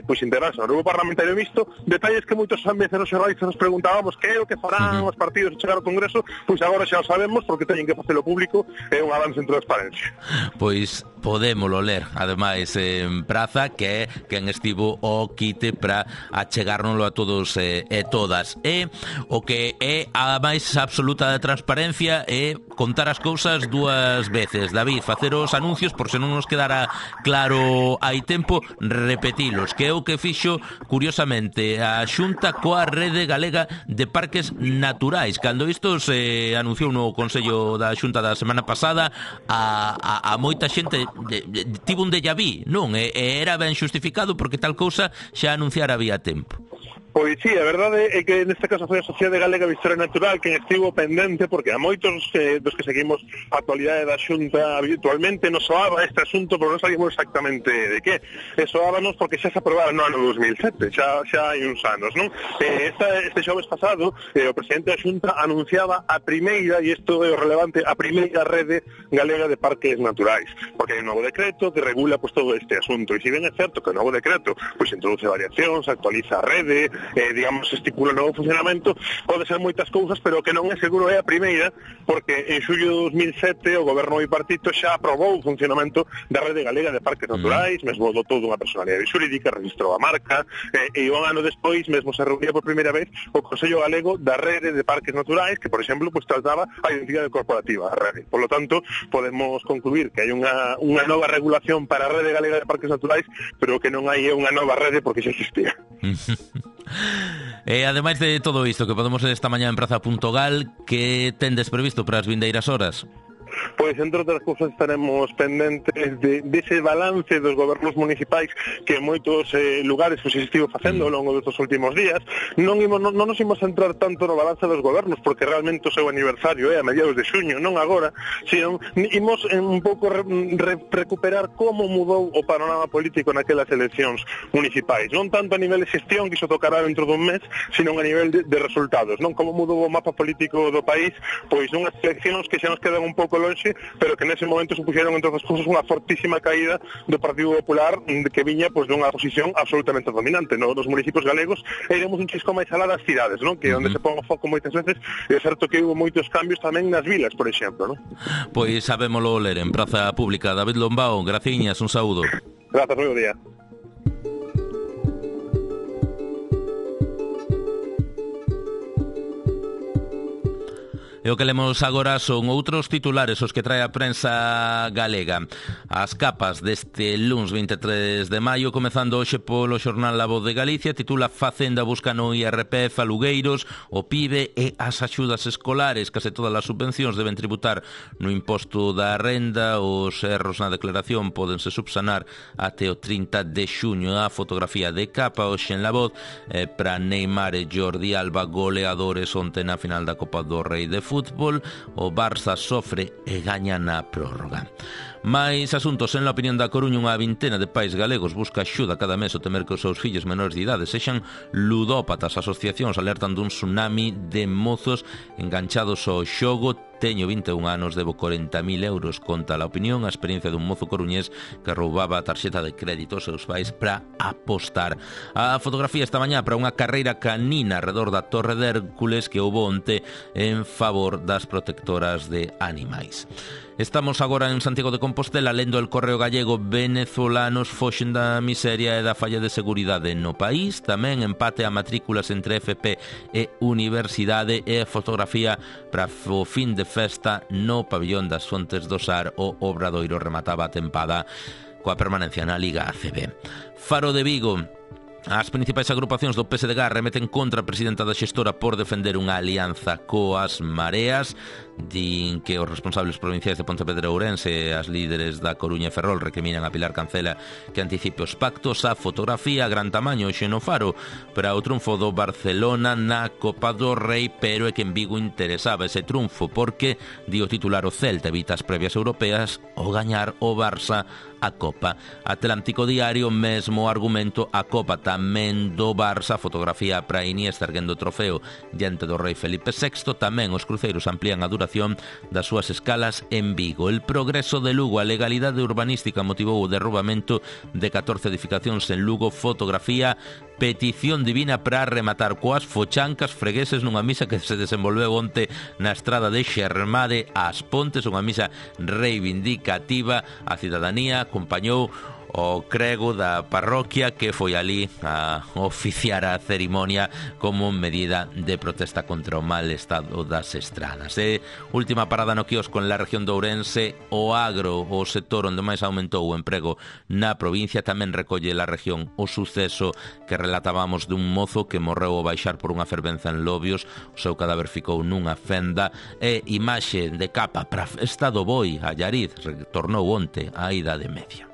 S14: pues integrarse no grupo parlamentario mixto, detalles que moitos veces nos xornalistas nos preguntábamos que é o que farán os partidos chegar ao Congreso, pois agora xa o sabemos, porque teñen que facelo público, é un avance en transparencia.
S2: Pois podémolo ler, ademais, en Praza, que é quen estivo o quite para achegárnoslo a todos e todas. E o que é a máis absoluta de transparencia é contar as cousas dúas veces. David, facer os anuncios, por se non nos quedara claro hai tempo, repetilos, que é o que fixo, curiosamente, a Xunta coa Rede Galega de Parques Naturais. Cando isto se anunciou no Consello da Xunta da semana pasada, a moita xente tivo un déjà vu, non? E era ben xustificado porque tal cousa xa anunciara había tempo.
S14: Pois sí, a verdade é que neste caso foi a Sociedade Galega de Historia Natural quen estivo pendente, porque a moitos dos que seguimos a actualidade da Xunta habitualmente nos soaba este asunto, pero non sabíamos exactamente de que. Soábanos porque xa se aprobara no ano 2007, xa hai uns anos, non? Este xoves pasado, o presidente da Xunta anunciaba a primeira, e isto é o relevante, a primeira rede galega de parques naturais, porque hai un novo decreto que regula pues, todo este asunto, e se ben é certo que o novo decreto pues, introduce variacións, actualiza a rede, digamos, estipula o novo funcionamento, pode ser moitas cousas, pero que non é seguro é a primeira, porque en xullo de 2007 o goberno bipartito xa aprobou o funcionamento da rede galega de parques naturais, mesmo dotou dunha personalidade xurídica, registrou a marca, e un ano despois mesmo se reunía por primeira vez o Consello Galego da Rede de Parques Naturais, que, por exemplo, pues, trataba a identidade corporativa da rede. Por lo tanto, podemos concluir que hai unha nova regulación para a Rede Galega de Parques Naturais, pero que non hai unha nova rede porque xa existía.
S2: E ademais de todo isto que podemos ver esta mañá en Praza.gal, que tendes previsto para as vindeiras horas?
S14: Pois, entre outras cousas, estaremos pendentes dese balance dos gobernos municipais que en moitos lugares se estivo facendo ao longo destes últimos días. Non nos imos centrar tanto no balance dos gobernos, porque realmente o seu aniversario é a mediados de xuño, non agora, sino imos un pouco recuperar como mudou o panorama político naquelas eleccións municipais. Non tanto a nivel de xestión, que iso tocará dentro dun mes, sino a nivel de resultados, non? Como mudou o mapa político do país, pois unhas eleccións que xa nos quedan un pouco lonxe, pero que nese momento supuxeron, entre outras cousas, unha fortísima caída do Partido Popular, que viña pues, dunha posición absolutamente dominante nos municipios galegos, e iremos un chisco máis alá das cidades, non? Que é onde se pon o foco moitas veces, e é certo que houve moitos cambios tamén nas vilas, por exemplo, non?
S2: Pois sabémolo ler en Praza Pública. David Lombao, graciñas, un saúdo.
S14: Grazas, moi bo día.
S2: E o que lemos agora son outros titulares os que trae a prensa galega. As capas deste luns 23 de maio, comezando hoxe polo xornal La Voz de Galicia, titula Facenda busca no IRPF a Lugueiros, o PIB e as axudas escolares. Case todas as subvencións deben tributar no imposto da renda. Os erros na declaración pódense subsanar até o 30 de xuño. A fotografía de capa hoxe en La Voz para Neymar e Jordi Alba, goleadores onte na final da Copa do Rei de Fútbol. O Barça sofre e gaña na prórroga. Mais asuntos. En la opinión da Coruña, unha vintena de pais galegos busca axuda cada mes ao temer que os seus fillos menores de idade sexan ludópatas. Asociacións alertan dun tsunami de mozos enganchados ao xogo. Teño 21 anos, debo 40.000 euros, conta La Opinión a experiencia dun mozo coruñés que roubaba a tarxeta de crédito aos seus pais para apostar. A fotografía esta mañá para unha carreira canina alrededor da Torre de Hércules que houbo onte en favor das protectoras de animais. Estamos agora en Santiago de Compostela lendo el Correo Gallego. Venezolanos foxen da miseria e da falla de seguridade no país. Tamén empate a matrículas entre FP e universidade. E a fotografía para o fin de festa no pabillón das Fontes do Sar. O Obradoiro remataba a tempada coa permanencia na Liga ACB. Faro de Vigo. As principais agrupacións do PSDG remeten contra a presidenta da xestora por defender unha alianza coas mareas. Din que os responsables provinciais de Pontevedra e Ourense e as líderes da Coruña e Ferrol recriminan a Pilar Cancela que anticipe os pactos. A fotografía a gran tamaño hoxe no Faro para o triunfo do Barcelona na Copa do Rei, pero é que en Vigo interesaba ese triunfo porque, di o titular, o Celta evita as previas europeas ao gañar o Barça a Copa. Atlántico Diario, mesmo argumento, a Copa tamén do Barça. Fotografía para Iniesta erguendo o trofeo diante do rei Felipe VI. Tamén os cruceiros amplían a duración das súas escalas en Vigo. El progreso de Lugo, a legalidade urbanística motivou o derrubamento de 14 edificacións en Lugo. Fotografía, petición divina para rematar coas fochancas fregueses nunha misa que se desenvolveu onte na estrada de Xermade ás Pontes, unha misa reivindicativa. A cidadanía acompañou o crego da parroquia que foi ali a oficiar a cerimonia como medida de protesta contra o mal estado das estradas. Última parada no quiosco en la región de Ourense, o agro, o sector onde máis aumentou o emprego na provincia. Tamén recolle la región o suceso que relatábamos dun mozo que morreu ao baixar por unha fervenza en Lobios. O seu cadáver ficou nunha fenda. E imaxe de capa para Festa do Boi. A Llariz retornou onte á Idade Media.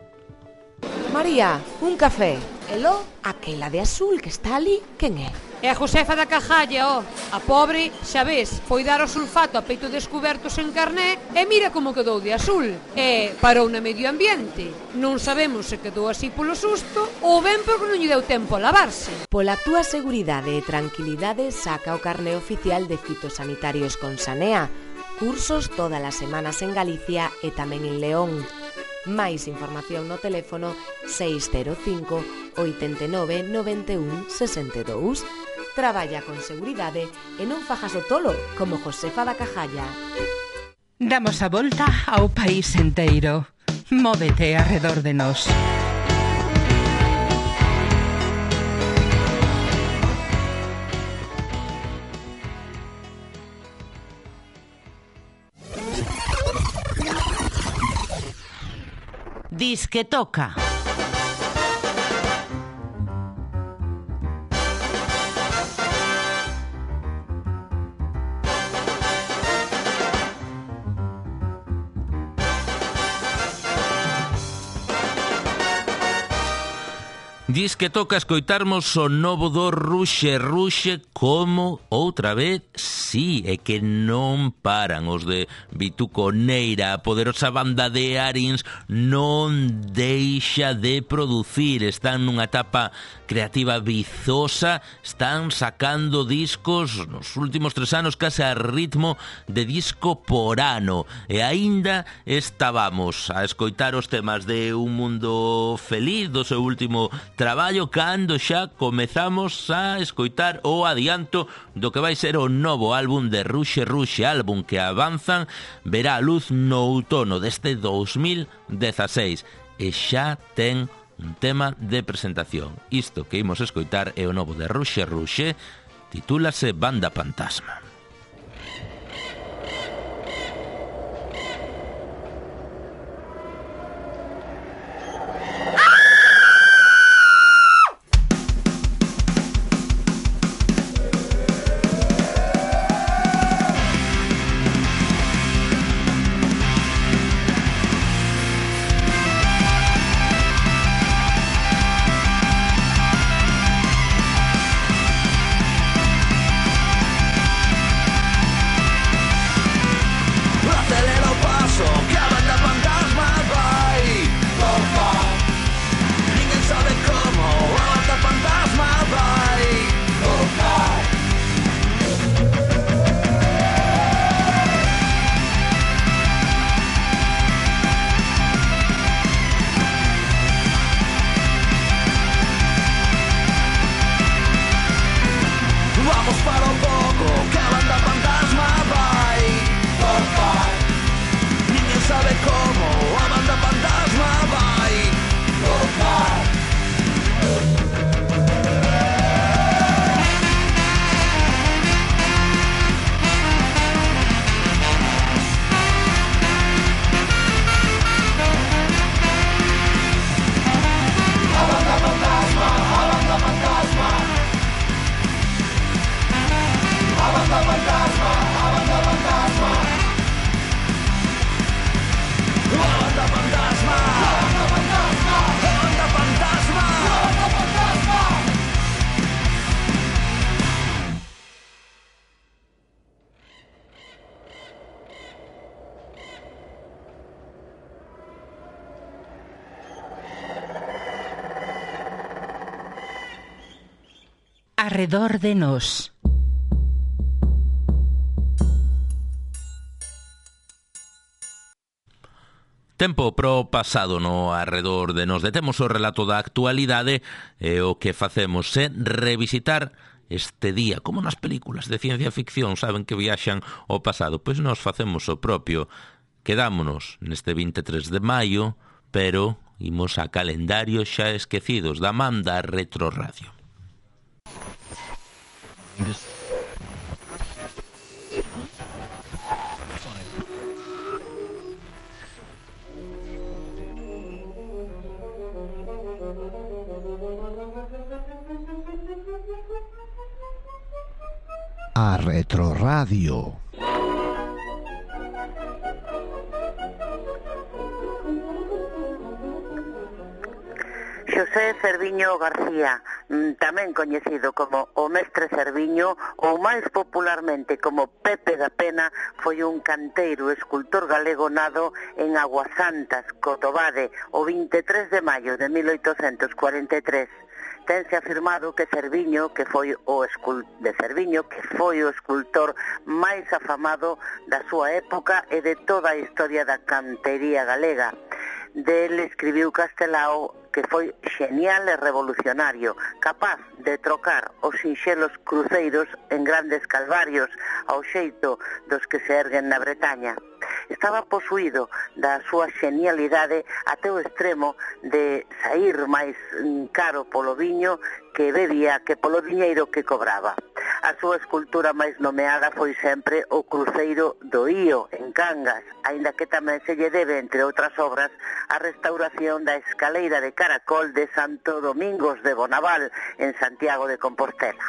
S15: María, un café. Elo, aquela de azul que está ali, quen é?
S16: É a Josefa da Cajalla, a pobre, xa ves, foi dar o sulfato a peito descubertos en carné e mira como quedou de azul. E parou na medio ambiente. Non sabemos se quedou así polo susto ou ben porque non lle deu tempo a lavarse.
S15: Pola túa seguridade e tranquilidade saca o carné oficial de fitosanitarios con Sanea. Cursos todas as semanas en Galicia e tamén en León. Máis información no teléfono 605 89 91 62. Traballa con seguridade e non fajas o tolo como Josefa da Cajalla.
S13: Damos a volta ao país enteiro. Móvete arredor de nós. Disque toca.
S2: Dis que toca escoitarmos o novo do Ruxe Ruxe como outra vez, sí, é que non paran os de Vituconeira, a poderosa banda de Arins non deixa de producir, están nunha etapa creativa vizosa, están sacando discos nos últimos 3 anos case a ritmo de disco por ano, e aínda estábamos a escoitar os temas de Un Mundo Feliz do seu último traballo cando xa comezamos a escoitar o adianto do que vai ser o novo álbum de Ruxe Ruxe, álbum que avanzan verá a luz no outono deste 2016 e xa ten un tema de presentación. Isto que imos escoitar é o novo de Ruxe Ruxe, titúlase Banda Fantasma.
S13: Arredor de nós.
S2: Tempo pro pasado no Arredor de nós. Detemos o relato da actualidade e o que facemos é revisitar este día, como nas películas de ciencia ficción, saben que viaxan ao pasado, pois nós facemos o propio. Quedámonos neste 23 de maio, pero Imos a Calendarios xa esquecidos da man da Retroradio.
S17: A Retroradio.
S18: Xosé Cerviño García, tamén coñecido como o Mestre Cerviño ou máis popularmente como Pepe da Pena, foi un canteiro escultor galego nado en Aguasantas, Cotobade, o 23 de maio de 1843. Tense afirmado que Cerviño, que foi o escultor máis afamado da súa época e de toda a historia da cantería galega. Del escribiu Castelao que foi xenial e revolucionario, capaz de trocar os sinxelos cruceiros en grandes calvarios ao xeito dos que se erguen na Bretaña. Estaba posuído da súa xenialidade até o extremo de saír máis caro polo viño que bebía que polo diñeiro que cobraba. A súa escultura máis nomeada foi sempre o Cruceiro do Ío, en Cangas, aínda que tamén se lle debe, entre outras obras, a restauración da escaleira de caracol de Santo Domingos de Bonaval, en Santiago de Compostela.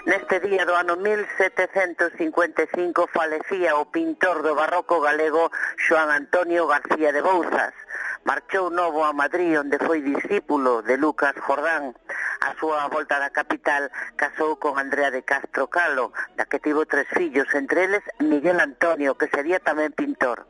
S18: Neste día do ano 1755 falecía o pintor do barroco galego Xoán Antonio García de Bouzas. Marchou novo a Madrid, onde foi discípulo de Lucas Jordán. A súa volta da capital casou con Andrea de Castro Calo, da que tivo 3 fillos, entre eles Miguel Antonio, que sería tamén pintor.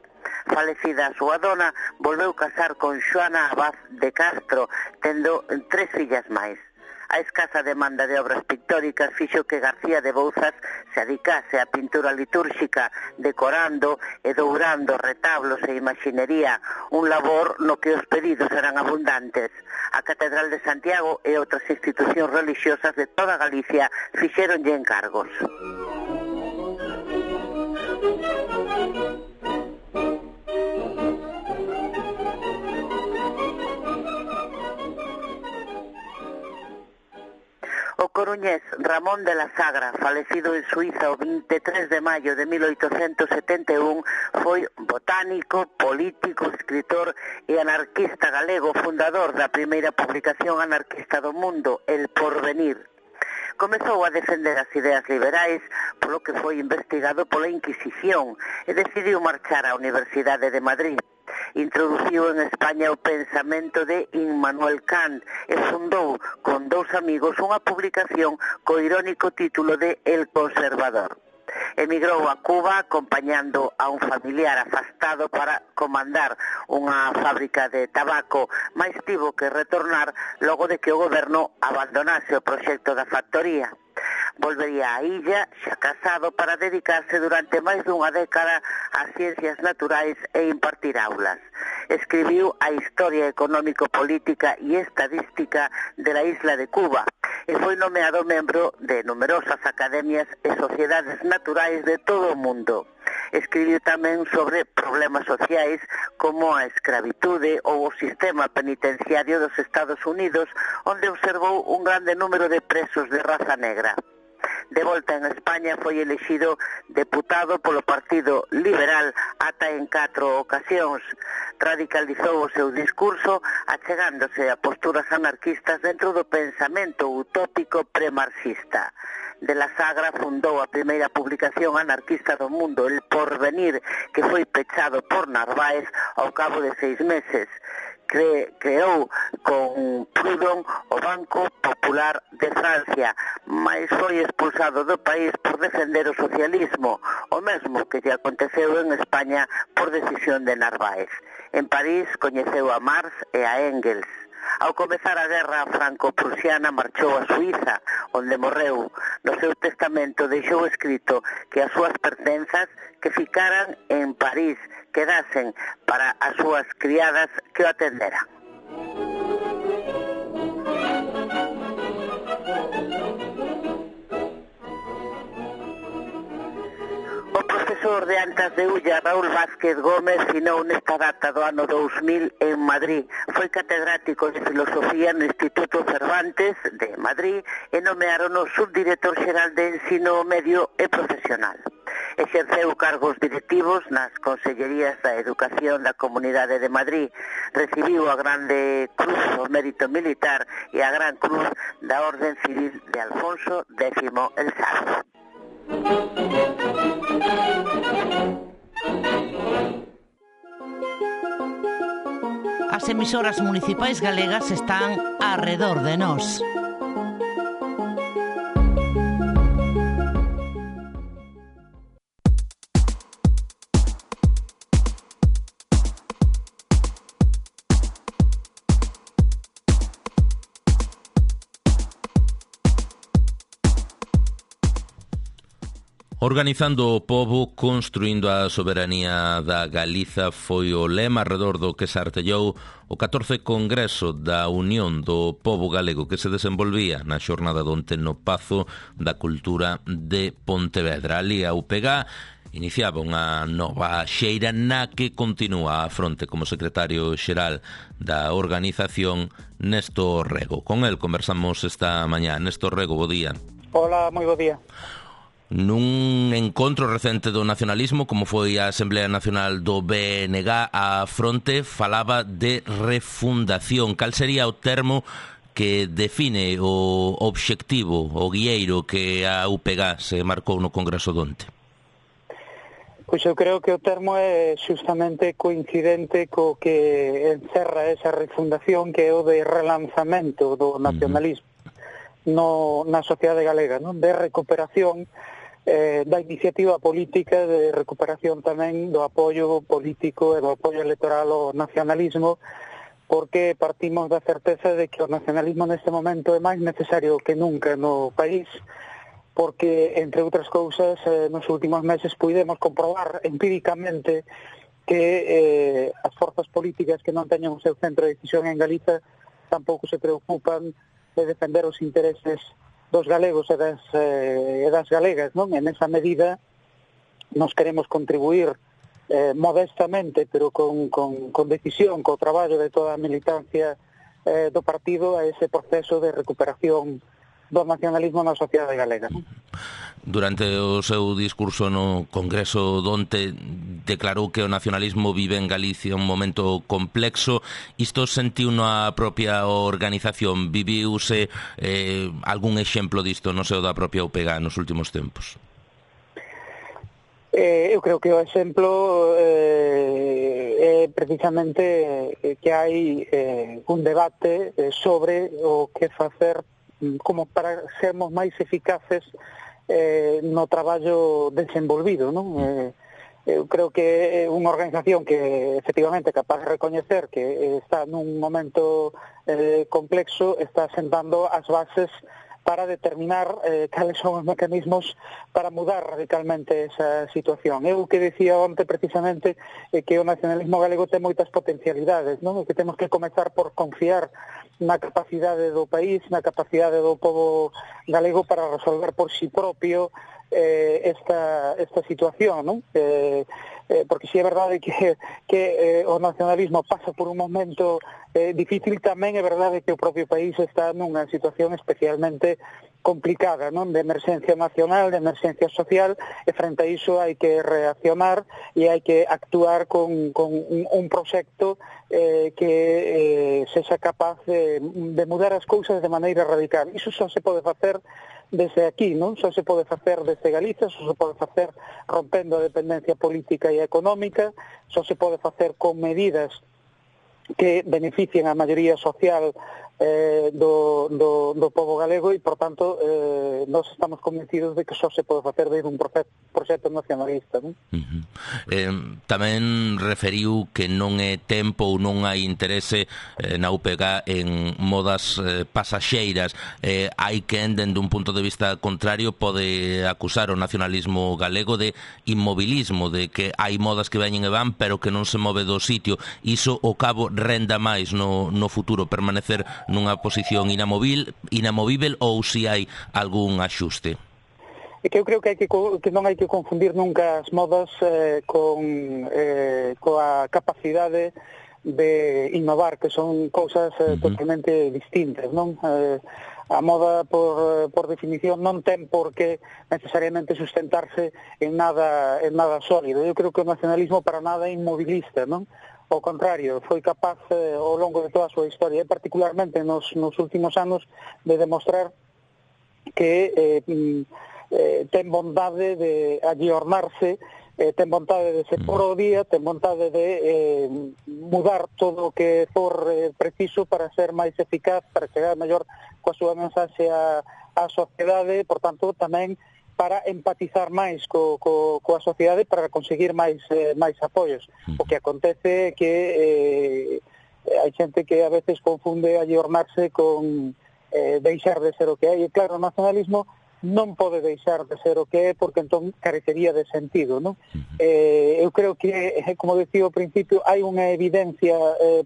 S18: Falecida a súa dona, volveu casar con Xoana Abad de Castro, tendo 3 fillas máis. A escasa demanda de obras pictóricas fixo que García de Bouzas se adicase á pintura litúrxica, decorando e dourando retablos e imaxinería, un labor no que os pedidos eran abundantes. A Catedral de Santiago e outras institucións religiosas de toda Galicia fixéronlle encargos. O coruñés Ramón de la Sagra, falecido en Suiza o 23 de maio de 1871, foi botánico, político, escritor e anarquista galego, fundador da primeira publicación anarquista do mundo, El Porvenir. Comezou a defender as ideas liberais, polo que foi investigado pola Inquisición e decidiu marchar á Universidade de Madrid. Introduciu en España o pensamento de Immanuel Kant e fundou con 2 amigos unha publicación co irónico título de El Conservador. Emigrou a Cuba acompañando a un familiar afastado para comandar unha fábrica de tabaco, mais tivo que retornar logo de que o goberno abandonase o proxecto da factoría. Volvería á illa, xa casado, para dedicarse durante máis dunha década ás ciencias naturais e impartir aulas. Escribiu a historia económico-política e estadística de la isla de Cuba e foi nomeado membro de numerosas academias e sociedades naturais de todo o mundo. Escribiu tamén sobre problemas sociais como a escravitude ou o sistema penitenciario dos Estados Unidos, onde observou un grande número de presos de raza negra. De volta en España foi elexido deputado polo Partido Liberal ata en 4 ocasións. Radicalizou o seu discurso achegándose a posturas anarquistas dentro do pensamento utópico premarxista. De la Sagra fundou a primeira publicación anarquista do mundo, El Porvenir, que foi pechado por Narváez ao cabo de 6 meses. Creou con Proudhon o Banco Popular de Francia, mas foi expulsado do país por defender o socialismo, o mesmo que lle aconteceu en España por decisión de Narváez. En París coñeceu a Marx e a Engels. Ao comezar a guerra franco-prusiana marchou a Suiza, onde morreu. No seu testamento deixou escrito que as súas pertenzas que ficaran en París, quedasen para as súas criadas que o atenderan. profesor de Antas de Ulla, Raúl Vázquez Gómez, finou nesta data do ano 2000 en Madrid. Foi catedrático de Filosofía no Instituto Cervantes de Madrid e nomearon o subdirector xeral de Ensino Medio e Profesional. Exerceu cargos directivos nas Consellerías da Educación da Comunidade de Madrid. Recibiu a Grande Cruz do Mérito Militar e a Gran Cruz da Orden Civil de Alfonso X el Sabio.
S19: As emisoras municipais galegas están arredor de nós.
S2: Organizando o pobo, construindo a soberanía da Galiza foi o lema arredor do que se artellou o 14 Congreso da Unión do Pobo Galego que se desenvolvía na xornada de onte no Pazo da Cultura de Pontevedra. Ali a UPG iniciaba unha nova xeira na que continúa a fronte como secretario xeral da organización Néstor Rego. Con el conversamos esta mañá. Néstor Rego, bo día.
S20: Hola, moi bo día.
S2: Nun encontro recente do nacionalismo, como foi a Asamblea Nacional do BNG, a fronte falaba de refundación. Cal sería o termo que define o obxectivo, o guieiro que a UPG se marcou no Congreso de onte?
S20: Pois eu creo que o termo é justamente coincidente co que encerra esa refundación, que é o de relanzamento do nacionalismo na sociedade galega, non? De recuperación da iniciativa política, de recuperación tamén do apoio político e do apoio electoral ao nacionalismo, porque partimos da certeza de que o nacionalismo neste momento é máis necesario que nunca no país, porque, entre outras cousas, nos últimos meses puidemos comprobar empíricamente que as forzas políticas que non teñen o seu centro de decisión en Galiza tampouco se preocupan de defender os intereses dos galegos e das galegas, non? En esa medida nos queremos contribuir modestamente, pero con decisión, co traballo de toda a militancia do partido a ese proceso de recuperación do nacionalismo na sociedade galega.
S2: Durante o seu discurso no Congreso donte declarou que o nacionalismo vive en Galicia un momento complexo. Isto sentiu na propia organización? Viviuse algún exemplo disto no seu da propia UPG nos últimos tempos?
S20: Eu creo que o exemplo é precisamente que hai un debate sobre o que facer como para sermos máis eficaces no traballo desenvolvido, non? Eu creo que é unha organización que efectivamente é capaz de recoñecer que está nun momento complexo, está sentando as bases para determinar cales son os mecanismos para mudar radicalmente esa situación. Eu que decía onte precisamente que o nacionalismo galego ten moitas potencialidades, non? E que temos que comezar por confiar na capacidade do país, na capacidade do pobo galego para resolver por si propio esta situación, non? Porque si é verdade que o nacionalismo pasa por un momento difícil, tamén é verdade que o propio país está nunha situación especialmente complicada, non? De emerxencia nacional, de emerxencia social, e frente a iso hai que reaccionar e hai que actuar con un proxecto que sexa capaz de mudar as cousas de maneira radical. Iso só se pode facer desde aquí, non? Só se pode facer desde Galiza, só se pode facer rompendo a dependencia política e económica, só se pode facer con medidas que beneficien a maioría social do pobo galego e, por tanto, nós estamos convencidos de que só se pode facer desde un proxecto nacionalista, non?
S2: Tamén referiu que non é tempo ou non hai interese na UPG en modas pasaxeiras. Hai que, dende un punto de vista contrario, pode acusar o nacionalismo galego de inmobilismo, de que hai modas que veñen e van pero que non se move do sitio. Iso, ao cabo, renda máis no futuro, permanecer nunha posición inamovível ou si hai algún axuste?
S20: que eu creo que non hai que confundir nunca as modas coa capacidade de innovar, que son cousas totalmente distintas, non? A moda, por definición, non ten por que necesariamente sustentarse en nada sólido. Eu creo que o nacionalismo para nada é inmovilista, non? Ao contrario, foi capaz ao longo de toda a súa historia, e particularmente nos últimos anos, de demostrar que ten bondade de agiornarse, ten vontade de ser por o día, ten vontade de mudar todo o que for preciso para ser máis eficaz, para chegar mellor coa súa mensaxe á sociedade, por tanto, tamén para empatizar máis coa sociedade, para conseguir máis apoios. O que acontece é que hai xente que a veces confunde agiornarse con deixar de ser o que hai. E claro, o nacionalismo non pode deixar de ser o que é, porque entón carecería de sentido, non? Eu creo que, como decía ao principio, hai unha evidencia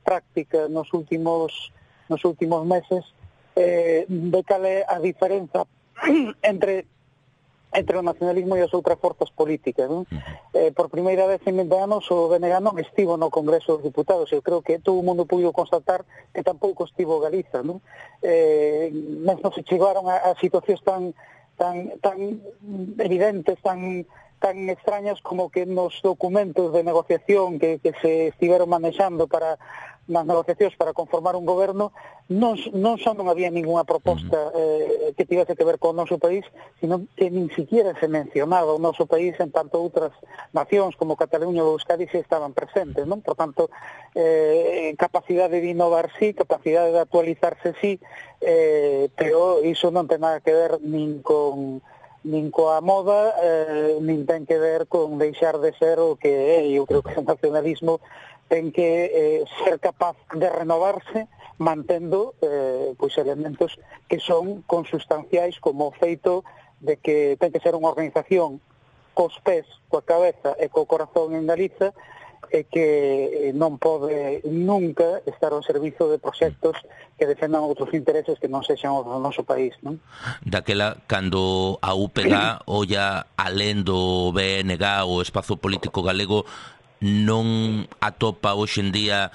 S20: práctica nos últimos meses de cal é a diferenza entre o nacionalismo e as outras forzas políticas, non? Por primeira vez en 20 anos o BNG non estivo no Congreso dos Diputados. Eu creo que todo o mundo puido constatar que tampouco estivo Galiza, non? Mesmo se chegaron a situacións tan evidentes, tan extrañas como que nos documentos de negociación que se estiveron manexando para nas negociacións para conformar un goberno non só non había ninguna proposta que tivese que ver con o noso país, sino que nin siquiera se mencionaba o noso país, en tanto outras nacións como Cataluña ou Euskadi se estaban presentes, non? Por tanto, capacidade de innovar sí, capacidade de actualizarse sí, pero iso non ten nada que ver nin coa moda, nin ten que ver con deixar de ser o que é. Eu creo que o nacionalismo ten que ser capaz de renovarse mantendo pois elementos que son consustanciais, como o feito de que ten que ser unha organización cos pés, coa cabeza e co corazón en Galiza, e que non pode nunca estar ao servizo de proxectos que defendan outros intereses que non sexan os do noso país, non?
S2: Daquela, cando a UPG olla alén do BNG, o espazo político galego, non atopa hoxe en día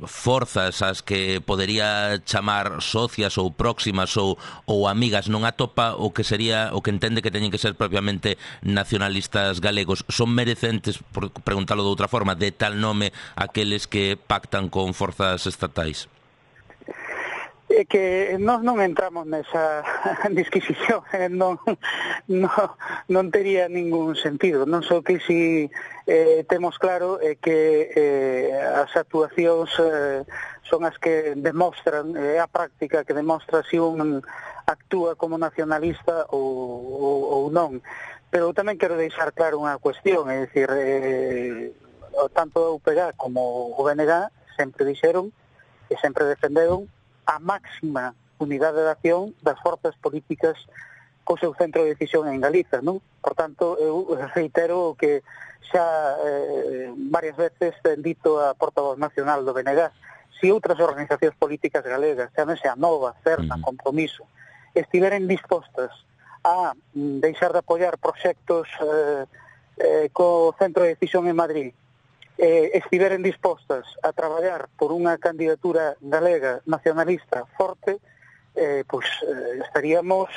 S2: forzas as que podería chamar socias ou próximas ou amigas, non atopa o que sería o que entende que teñen que ser propiamente nacionalistas galegos. Son merecentes, por preguntalo de outra forma, de tal nome aqueles que pactan con forzas estatais?
S20: É que nós non entramos nesa disquisición, non tería ningún sentido. Non só que si temos claro que as actuacións son as que demostran, a práctica que demostra se un actúa como nacionalista ou non. Pero tamén quero deixar claro unha cuestión, é dicir, tanto a UPG como o BNG sempre dixeron e sempre defenderon a máxima unidade de acción das forzas políticas co seu centro de decisión en Galiza, non? Por tanto, eu reitero que xa varias veces ten dito a portavoz nacional do BNG, se outras organizacións políticas galegas, chámese a Nova, Cerna, Compromiso, estiveren dispostas a deixar de apoiar proxectos co centro de decisión en Madrid, estiveren dispostas a traballar por unha candidatura galega nacionalista forte, pois estaríamos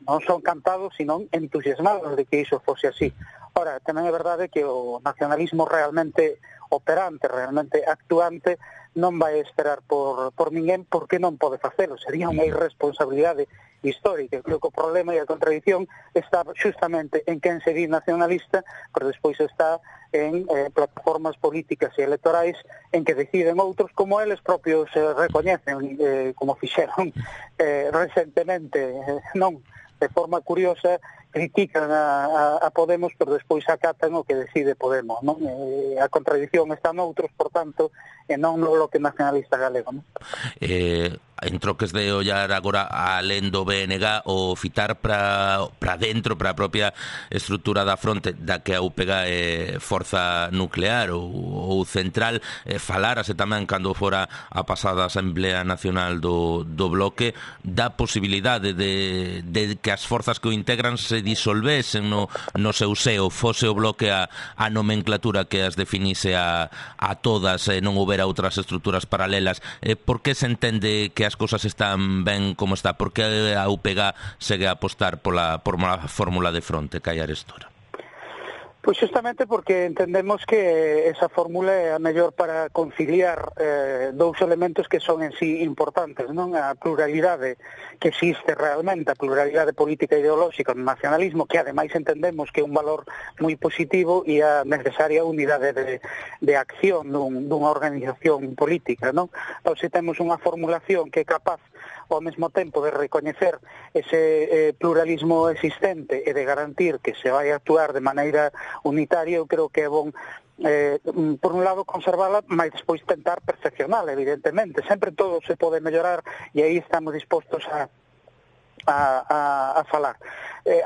S20: non só encantados, sino entusiasmados de que iso fose así. Ora, tamén é verdade que o nacionalismo realmente operante, realmente actuante, non vai esperar por ninguén, porque non pode facelo. Sería unha irresponsabilidade histórica. Creo que o problema e a contradición está justamente en quen se di nacionalista, pero despois está en plataformas políticas e electorais en que deciden outros, como eles propios recoñecen, como fixeron recentemente, non? De forma curiosa, critican a Podemos, pero despois acatan o que decide Podemos, non? A contradición está noutros, por tanto, e non no bloque nacionalista galego, non?
S2: en troques de ollar agora alén do BNG o fitar para dentro, para a propia estrutura da fronte da que a UPG é forza nuclear ou central, falárase tamén cando fora a pasada Asamblea Nacional do Bloque da posibilidade de que as forzas que o integran se disolvesen no seu seo, fose o Bloque a nomenclatura que as definise a todas e non houbera outras estruturas paralelas. Por que se entende que as cousas están ben como está? Por que a UPG segue a apostar pola fórmula de fronte, Cai Arestora?
S20: Pois justamente porque entendemos que esa fórmula é a mellor para conciliar dous elementos que son en sí importantes, non? A pluralidade que existe realmente, a pluralidade política e ideolóxica no nacionalismo, que ademais entendemos que é un valor moi positivo, e a necesaria unidade de acción dunha organización política, non? Ou se temos unha formulación que é capaz ao mesmo tempo de recoñecer ese pluralismo existente e de garantir que se vai actuar de maneira unitaria, eu creo que é bon por un lado conservala, mas despois tentar perfeccionala, evidentemente. Sempre todo se pode mellorar e aí estamos dispostos a falar.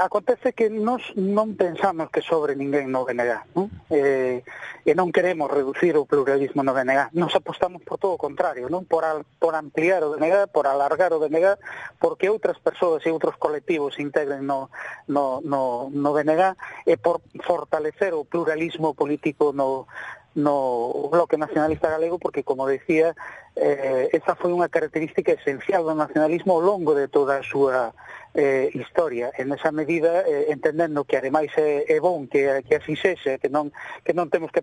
S20: Acontece que nós non pensamos que sobre ninguén no BNG, non? E non queremos reducir o pluralismo no BNG. Nos apostamos por todo o contrario, non? Por ampliar o BNG, por alargar o BNG, porque outras persoas e outros colectivos se integren no BNG, e por fortalecer o pluralismo político no Bloque Nacionalista Galego, porque, como decía, esa foi unha característica esencial do nacionalismo ao longo de toda a súa historia. En esa medida, entendendo que ademais é bon que así sexe, que non temos que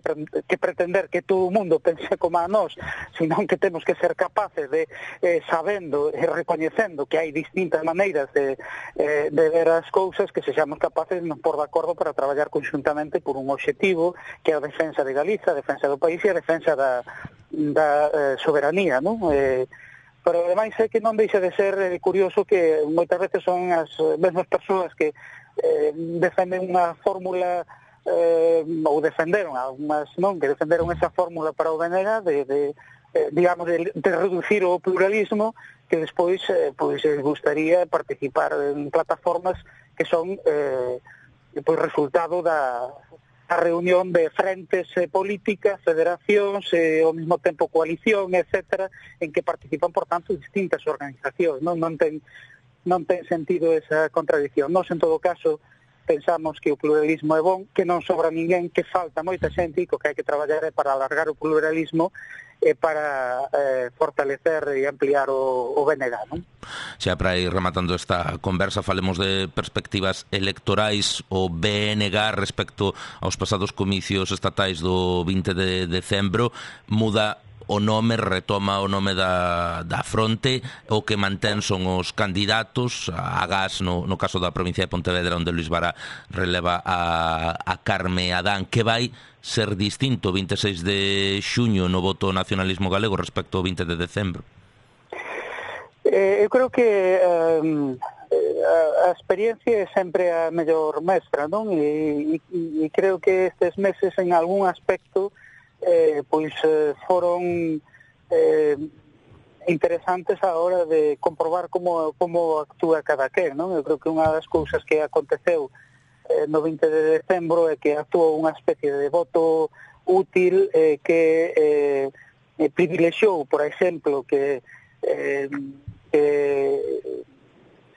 S20: pretender que todo o mundo pense como a nós, senón que temos que ser capaces de, sabendo e recoñecendo que hai distintas maneiras de ver as cousas, que sexamos capaces de nos pôr de acordo para traballar conxuntamente por un obxectivo que é a defensa de Galiza, a defensa do país e a defensa da soberanía, non? Pero ademais é que non deixa de ser curioso que moitas veces son as mesmas persoas que defenden unha fórmula ou defenderon algunhas, non, que defenderon esa fórmula para o BNG digamos, de reducir o pluralismo, que despois pois gustaría participar en plataformas que son pois resultado da reunión de frentes políticas, federacións, ao mesmo tempo coalición, etcétera, en que participan, por tanto, distintas organizacións. Non ten sentido esa contradicción. Nós, en todo caso, pensamos que o pluralismo é bon, que non sobra ninguén, que falta moita xente, e que hai que traballar para alargar o pluralismo e para fortalecer e ampliar o BNG, non?
S2: Xa para ir rematando esta conversa, falemos de perspectivas electorais. O BNG respecto aos pasados comicios estatais do 20 de decembro muda o nome, retoma o nome da fronte, o que mantén son os candidatos, a Gas no caso da provincia de Pontevedra, onde Luís Vara releva a Carme Adán. Que vai ser distinto o 26 de xuño no voto nacionalismo galego respecto ao 20 de decembro?
S20: Eu creo que a experiencia é sempre a mellor mestra, non? E creo que estes meses en algún aspecto foron interesantes a hora de comprobar como actúa cada quen, non? Eu creo que unha das cousas que aconteceu no 20 de decembro é que actuou unha especie de voto útil que privilexiou, por exemplo, que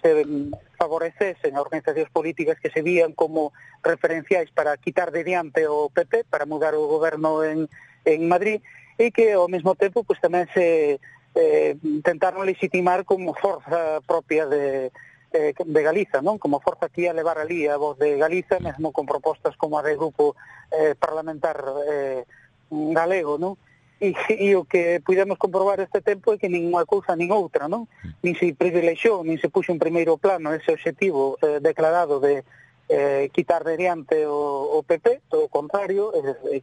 S20: se favorecesen a organizacións políticas que se vían como referenciais para quitar de diante o PP, para mudar o goberno en Madrid, e que ao mesmo tempo pues, tamén se tentaron legitimar como forza propia de Galiza, non? Como forza que ia levar ali a voz de Galiza, mesmo con propostas como a de grupo parlamentar galego, non? E o que pudemos comprobar este tempo é que nin unha cousa nin outra, non? Nin se privilexiou, nin se puxo en primeiro plano ese obxectivo declarado de quitar de diante o PP, todo o contrario,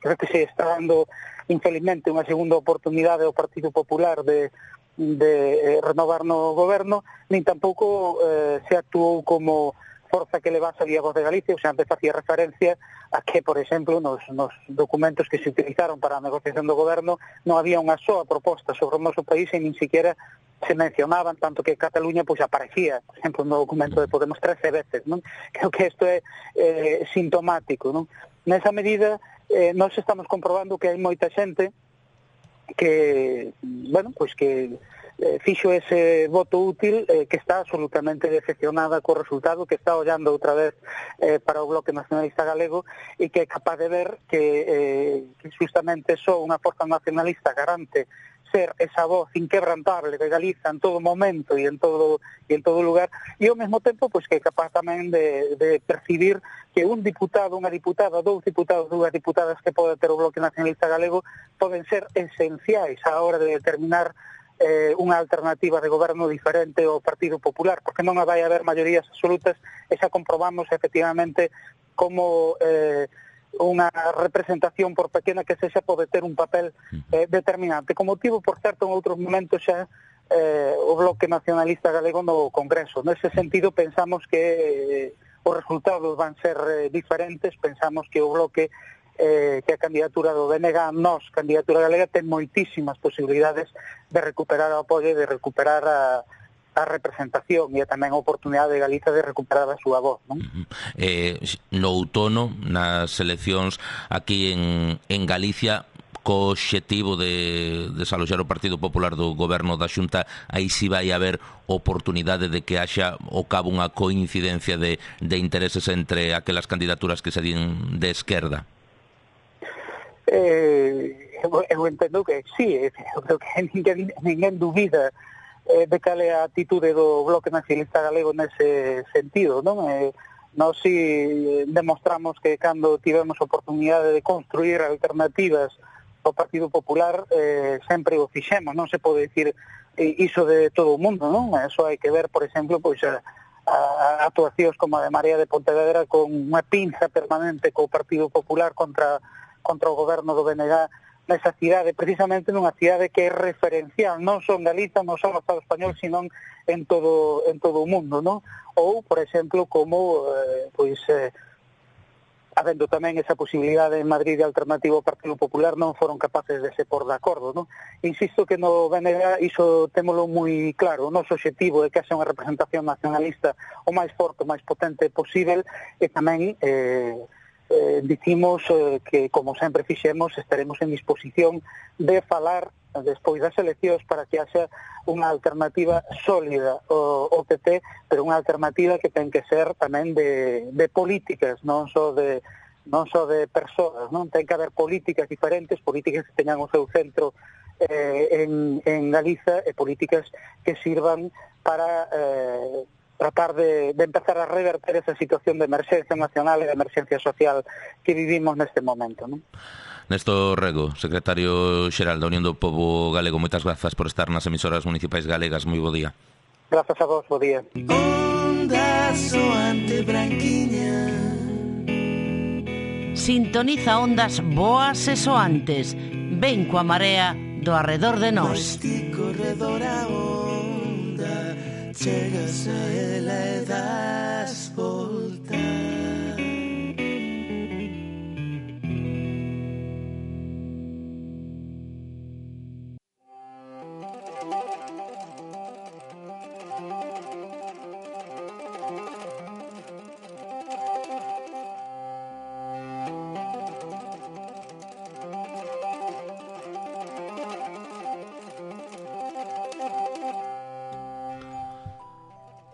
S20: creo que se está dando infelizmente unha segunda oportunidade ao Partido Popular de renovar no goberno, nin tampouco se actuou como forza que levase a Voz de Galicia, o sea, antes facía referencia a que, por exemplo, nos documentos que se utilizaron para a negociación do goberno non había unha soa proposta sobre o noso país e nin siquiera se mencionaban, tanto que Cataluña pois aparecía, por exemplo, no documento de Podemos 13 veces, non? Creo que isto é sintomático, non? Nesa medida, nós estamos comprobando que hai moita xente que, bueno, pois que fixo ese voto útil, que está absolutamente decepcionada co resultado, que está ollando outra vez para o Bloque Nacionalista Galego e que é capaz de ver que justamente só unha forza nacionalista garante ser esa voz inquebrantable de Galiza en todo momento e en todo lugar, e ao mesmo tempo pois que é capaz tamén de percibir que un diputado, unha diputada, dous diputados, dúas diputadas que pode ter o Bloque Nacionalista Galego poden ser esenciais á hora de determinar unha alternativa de goberno diferente ao Partido Popular, porque non vai haber maiorías absolutas, e xa comprobamos efectivamente como unha representación, por pequena que sexa, pode ter un papel determinante. Como motivo, por certo, en outros momentos xa o Bloque Nacionalista Galego no Congreso. Nese sentido, pensamos que os resultados van ser diferentes, pensamos que o Bloque que a candidatura do BNG, nos, candidatura galega, ten moitísimas posibilidades de recuperar o apoio, de recuperar a representación e tamén a oportunidade de Galiza de recuperar a súa voz, non?
S2: No outono, nas eleccións aquí en Galicia, co obxectivo de desaloxar o Partido Popular do goberno da Xunta, aí si vai haber oportunidade de que haxa ao cabo unha coincidencia de intereses entre aquelas candidaturas que se din de esquerda?
S20: Eu entendo que sí, eu creo que ninguén dubida de cal é a atitude do Bloque Nacionalista Galego nese sentido, non? Nós si demostramos que cando tivemos oportunidade de construir alternativas ao Partido Popular sempre o fixemos, non se pode dicir iso de todo o mundo, non? Eso hai que ver, por exemplo, pois a actuacións como a de María de Pontevedra con unha pinza permanente co Partido Popular contra o goberno do BNG nesa cidade, precisamente nunha cidade que é referencial, non só en Galiza, non só no Estado español, sino en todo o mundo, non? Ou, por exemplo, como habendo tamén esa posibilidade en Madrid de alternativa ao Partido Popular, non foron capaces de se por de acordo, non? Insisto que no BNG iso témolo moi claro, o noso obxectivo é que haxa unha representación nacionalista o máis forte, o máis potente posible, e tamén dicimos que, como sempre fixemos, estaremos en disposición de falar despois das eleccións para que haxa unha alternativa sólida ao PP, pero unha alternativa que ten que ser tamén de políticas, non só de persoas, non? Ten que haber políticas diferentes, políticas que teñan o seu centro en Galiza, e políticas que sirvan para tratar de empezar a reverter esa situación de emerxencia nacional e de emerxencia social que vivimos neste momento, non?
S2: Néstor Rego, secretario xeral da Unión do Pobo Galego, moitas grazas por estar nas emisoras municipais galegas. Moi bo día.
S20: Grazas a vos, bo día.
S21: Onda soante branquiña.
S19: Sintoniza ondas boas e soantes. Ven coa marea do arredor de nós.
S21: Chegas a ela e das volta.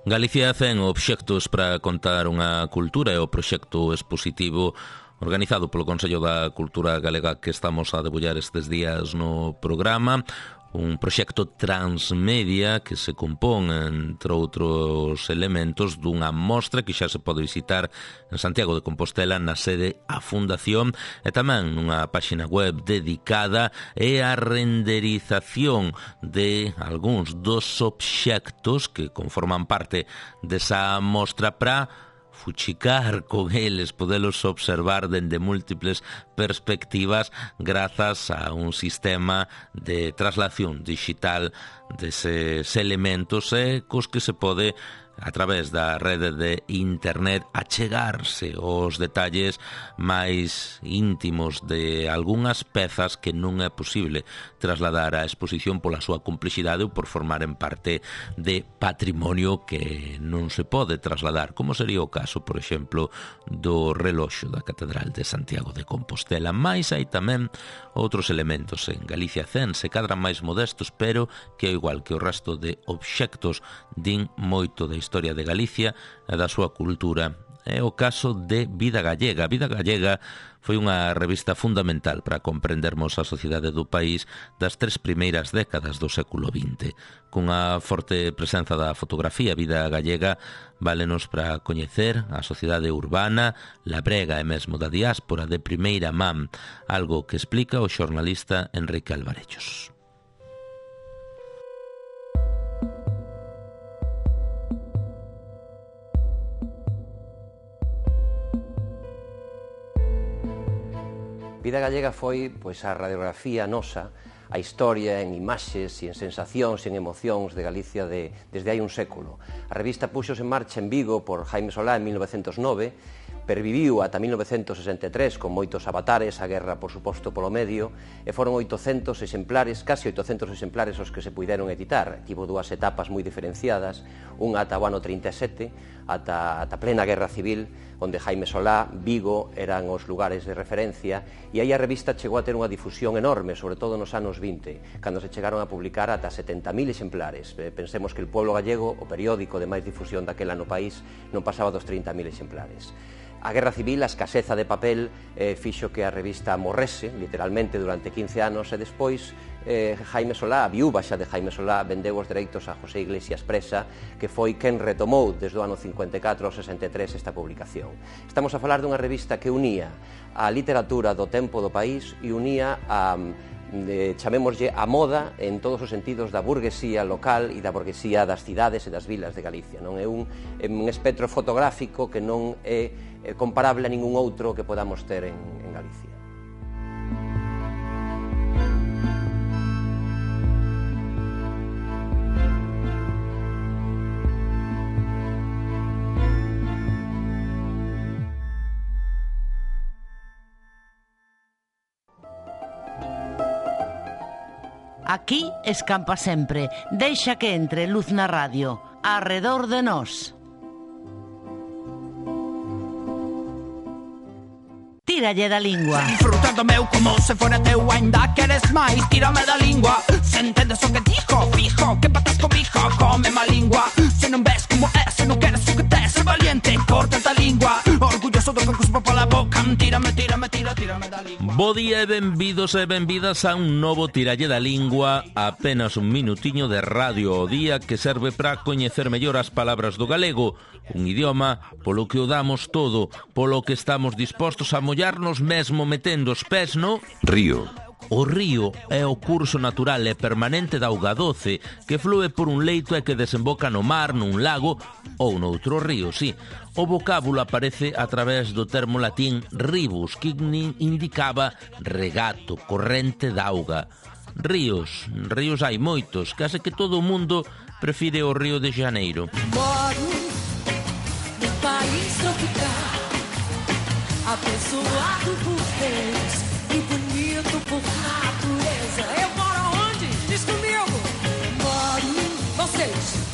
S2: Galicia 100 obxectos para contar unha cultura é o proxecto expositivo organizado polo Consello da Cultura Galega que estamos a debullar estes días no programa. Un proxecto transmedia que se compón, entre outros elementos, dunha mostra que xa se pode visitar en Santiago de Compostela na sede A Fundación, e tamén nunha páxina web dedicada e a renderización de algúns dos obxectos que conforman parte desa mostra para fuchicar con eles, podelos observar dende múltiples perspectivas grazas a un sistema de traslación digital deses elementos cos que se pode a través da rede de internet, achegarse aos detalles máis íntimos de algunhas pezas que non é posible trasladar á exposición pola súa complexidade ou por formaren parte de patrimonio que non se pode trasladar, como sería o caso, por exemplo, do reloxo da Catedral de Santiago de Compostela. Mais hai tamén outros elementos en Galicia Zen, se cadran máis modestos, pero que ao igual que o resto de obxectos din moito da historia de Galicia e da súa cultura. É o caso de Vida Gallega. Vida Gallega foi unha revista fundamental para comprendermos a sociedade do país das 3 primeiras décadas do século XX. Cunha forte presenza da fotografía, Vida Gallega válenos para coñecer a sociedade urbana, labrega e mesmo da diáspora de primeira man, algo que explica o xornalista Enrique Alvarellos.
S1: Vida Gallega foi pois a radiografía nosa, a historia en imaxes e en sensacións e en emocións de Galicia desde hai un século. A revista puxos en marcha en Vigo por Jaime Solá en 1909, perviviu ata 1963 con moitos avatares, a guerra, por suposto, polo medio, e foron 800 exemplares, casi 800 exemplares os que se puideron editar. Tivo 2 etapas moi diferenciadas, unha ata o ano 37, ata plena guerra civil, onde Jaime Solá, Vigo, eran os lugares de referencia, e aí a revista chegou a ter unha difusión enorme, sobre todo nos anos 20, cando se chegaron a publicar ata 70.000 exemplares. Pensemos que El Pueblo Gallego, o periódico de máis difusión daquela no país, non pasaba dos 30.000 exemplares. A guerra civil, a escaseza de papel, fixo que a revista morrese, literalmente, durante 15 anos, e despois Jaime Solá, a viúva xa de Jaime Solá, vendeu os dereitos a José Iglesias Presa, que foi quen retomou desde o ano 54 ao 63 esta publicación. Estamos a falar dunha revista que unía a literatura do tempo do país e unía a chamémoslle a moda en todos os sentidos da burguesía local e da burguesía das cidades e das vilas de Galicia. Non é un espectro fotográfico que non é comparable a ningún outro que podamos ter en Galicia.
S19: Aquí escampa sempre, deixa que entre luz na radio, arredor de nós. Tíralle da lingua.
S22: Disfrutando meu como se fora teu, ainda queres máis, tírame da lingua. Se entendes o que dijo, fijo, que patas comigo, come má lingua. Se non ves como é, se non queres o que tes, ser valiente, corta a lingua. Orgulloso do que cuspo pola boca, tírame da lingua.
S2: Bo día e benvidos e benvidas a un novo Tiralle da Lingua, apenas un minutiño de radio ao día que serve para coñecer mellor as palabras do galego, un idioma polo que o damos todo, polo que estamos dispostos a mollarnos mesmo metendo os pés no
S23: río.
S2: O río é o curso natural e permanente da auga doce que flúe por un leito e que desemboca no mar, nun lago ou noutro río, sí. O vocábulo aparece a través do termo latín ribus, que indicaba regato, corrente da auga. Ríos hai moitos, case que todo o mundo prefire o Río de Janeiro.
S21: Moro no país tropical, abençoado por Deus e bonito por natureza. Eu moro onde? Diz comigo. Moro, vocês.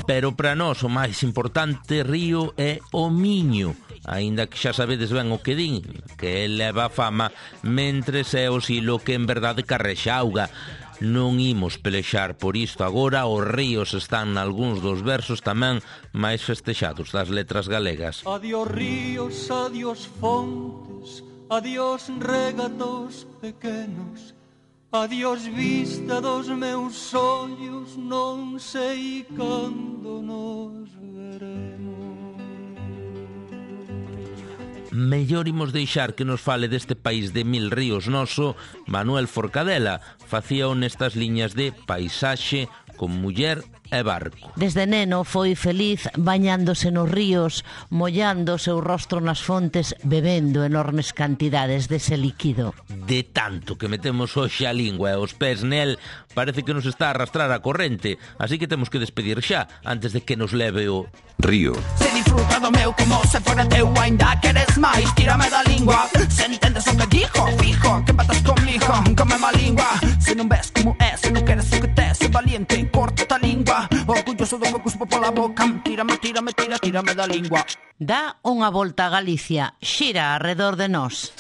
S2: Pero para nós o máis importante río é o Miño, aínda que xa sabedes ben o que din, que leva fama mentres é o silo que en verdade carrexa auga. Non imos pelexar por isto agora, os ríos están nalgúns dos versos tamén máis festexados das letras galegas.
S21: Adiós ríos, adiós fontes, adiós regatos pequenos, adiós vista dos meus ollos, non sei cando nos veremos.
S2: Mellor imos deixar que nos fale deste país de mil ríos noso Manuel Forcadela. Facía nestas liñas de paisaxe con muller e barco.
S19: Desde neno foi feliz bañándose nos ríos, mollando o seu rostro nas fontes, bebendo enormes cantidades dese líquido.
S2: De tanto que metemos hoxe a lingua e os pés nel, parece que nos está a arrastrar a corrente, así que temos que despedir xa, antes de que nos leve o río.
S22: Se disfruta do meu como se fora teu, ainda queres máis, tírame da lingua. Se entendes o que dijo, fijo, que empatas comigo, come má lingua. Se non ves como é, se non queres o que te, se valiente, corta a lingua. Orgulloso do que cuspo pola boca, tírame da lingua.
S19: Dá unha volta a Galicia, xira arredor de nós.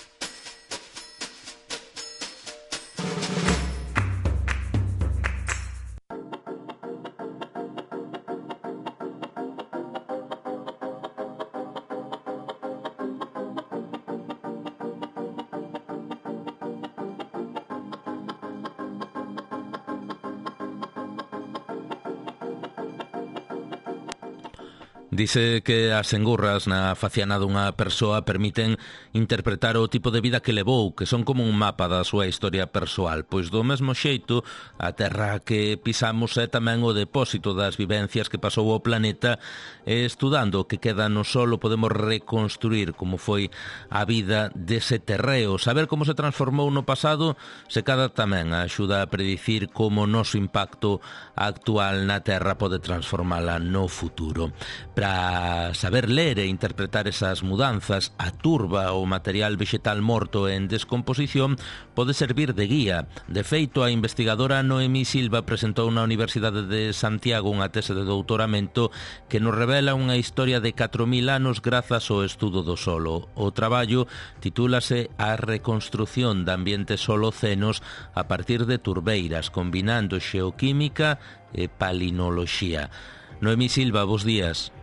S2: Dice que as engurras na faciana dunha persoa permiten interpretar o tipo de vida que levou, que son como un mapa da súa historia persoal. Pois do mesmo xeito, a terra que pisamos é tamén o depósito das vivencias que pasou o planeta, e estudando o que queda no solo podemos reconstruir como foi a vida dese terreo. Saber como se transformou no pasado se cada tamén axuda a predicir como o noso impacto actual na terra pode transformala no futuro. Para saber ler e interpretar esas mudanzas, a turba ou material vegetal morto en descomposición pode servir de guía. De feito, a investigadora Noemí Silva presentou na Universidade de Santiago unha tese de doutoramento que nos revela unha historia de 4.000 anos grazas ao estudo do solo. O traballo titúlase A reconstrución de ambientes holocenos a partir de turbeiras, combinando xeoquímica e palinoloxía. Noemí Silva, bos días.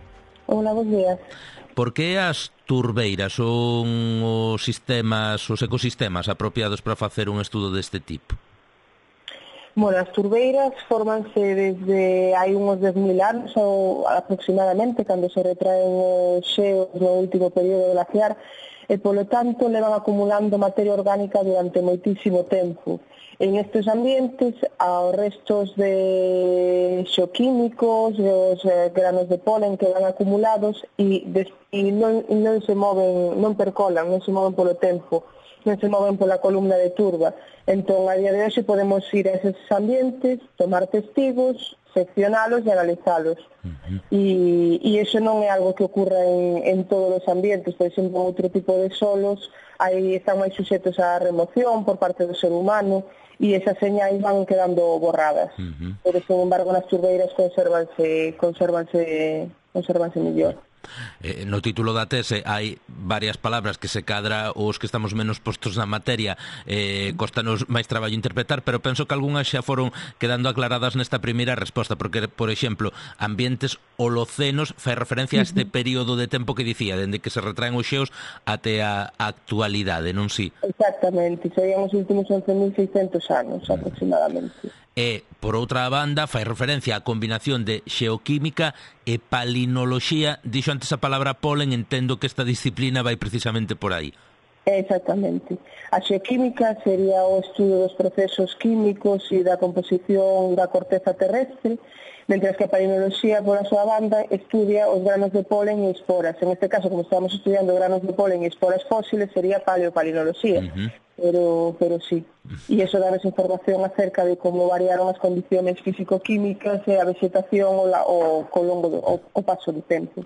S3: Hola, bons días.
S2: Por que as turbeiras son os ecosistemas apropiados para facer un estudo deste tipo?
S3: Bueno, as turbeiras formanse desde hai uns 10.000 anos ou aproximadamente, cando se retraen os xeos no último período glaciar, e polo tanto levan acumulando materia orgánica durante moitísimo tempo. En estes ambientes, aos restos de xeoquímicos, os granos de polen que van acumulados e non se moven, non percolan, non se moven polo tempo, non se moven pola columna de turba. Entón, a día de hoxe podemos ir a eses ambientes, tomar testigos, seccionalos e analizalos. E iso non é algo que ocurra en todos os ambientes. Por exemplo, outro tipo de solos aí están máis suxetos á remoción por parte do ser humano e esas señais van quedando borradas. Pero, sin embargo, nas turbeiras conservanse mellor.
S2: No título da tese hai varias palabras que se cadra os que estamos menos postos na materia, costanos máis traballo interpretar, pero penso que algunhas xa foron quedando aclaradas nesta primeira resposta, porque, por exemplo, ambientes holocenos fai referencia a este período de tempo que dicía, dende que se retraen os xeos até a actualidade, non si?
S3: Exactamente, serían os últimos 11.600 anos aproximadamente.
S2: E, por outra banda, fai referencia á combinación de xeoquímica e palinoloxía. Dixo antes a palabra polen, entendo que esta disciplina vai precisamente por aí.
S3: Exactamente. A xeoquímica sería o estudo dos procesos químicos e da composición da corteza terrestre, mentre que a palinoloxía, por a súa banda, estudia os granos de polen e esporas. En este caso, como estamos estudiando granos de polen e esporas fósiles, sería paleopalinoloxía. Pero sí. E iso dá información acerca de como variaron as condiciones físico-químicas e a vegetación ao longo do paso do tempo.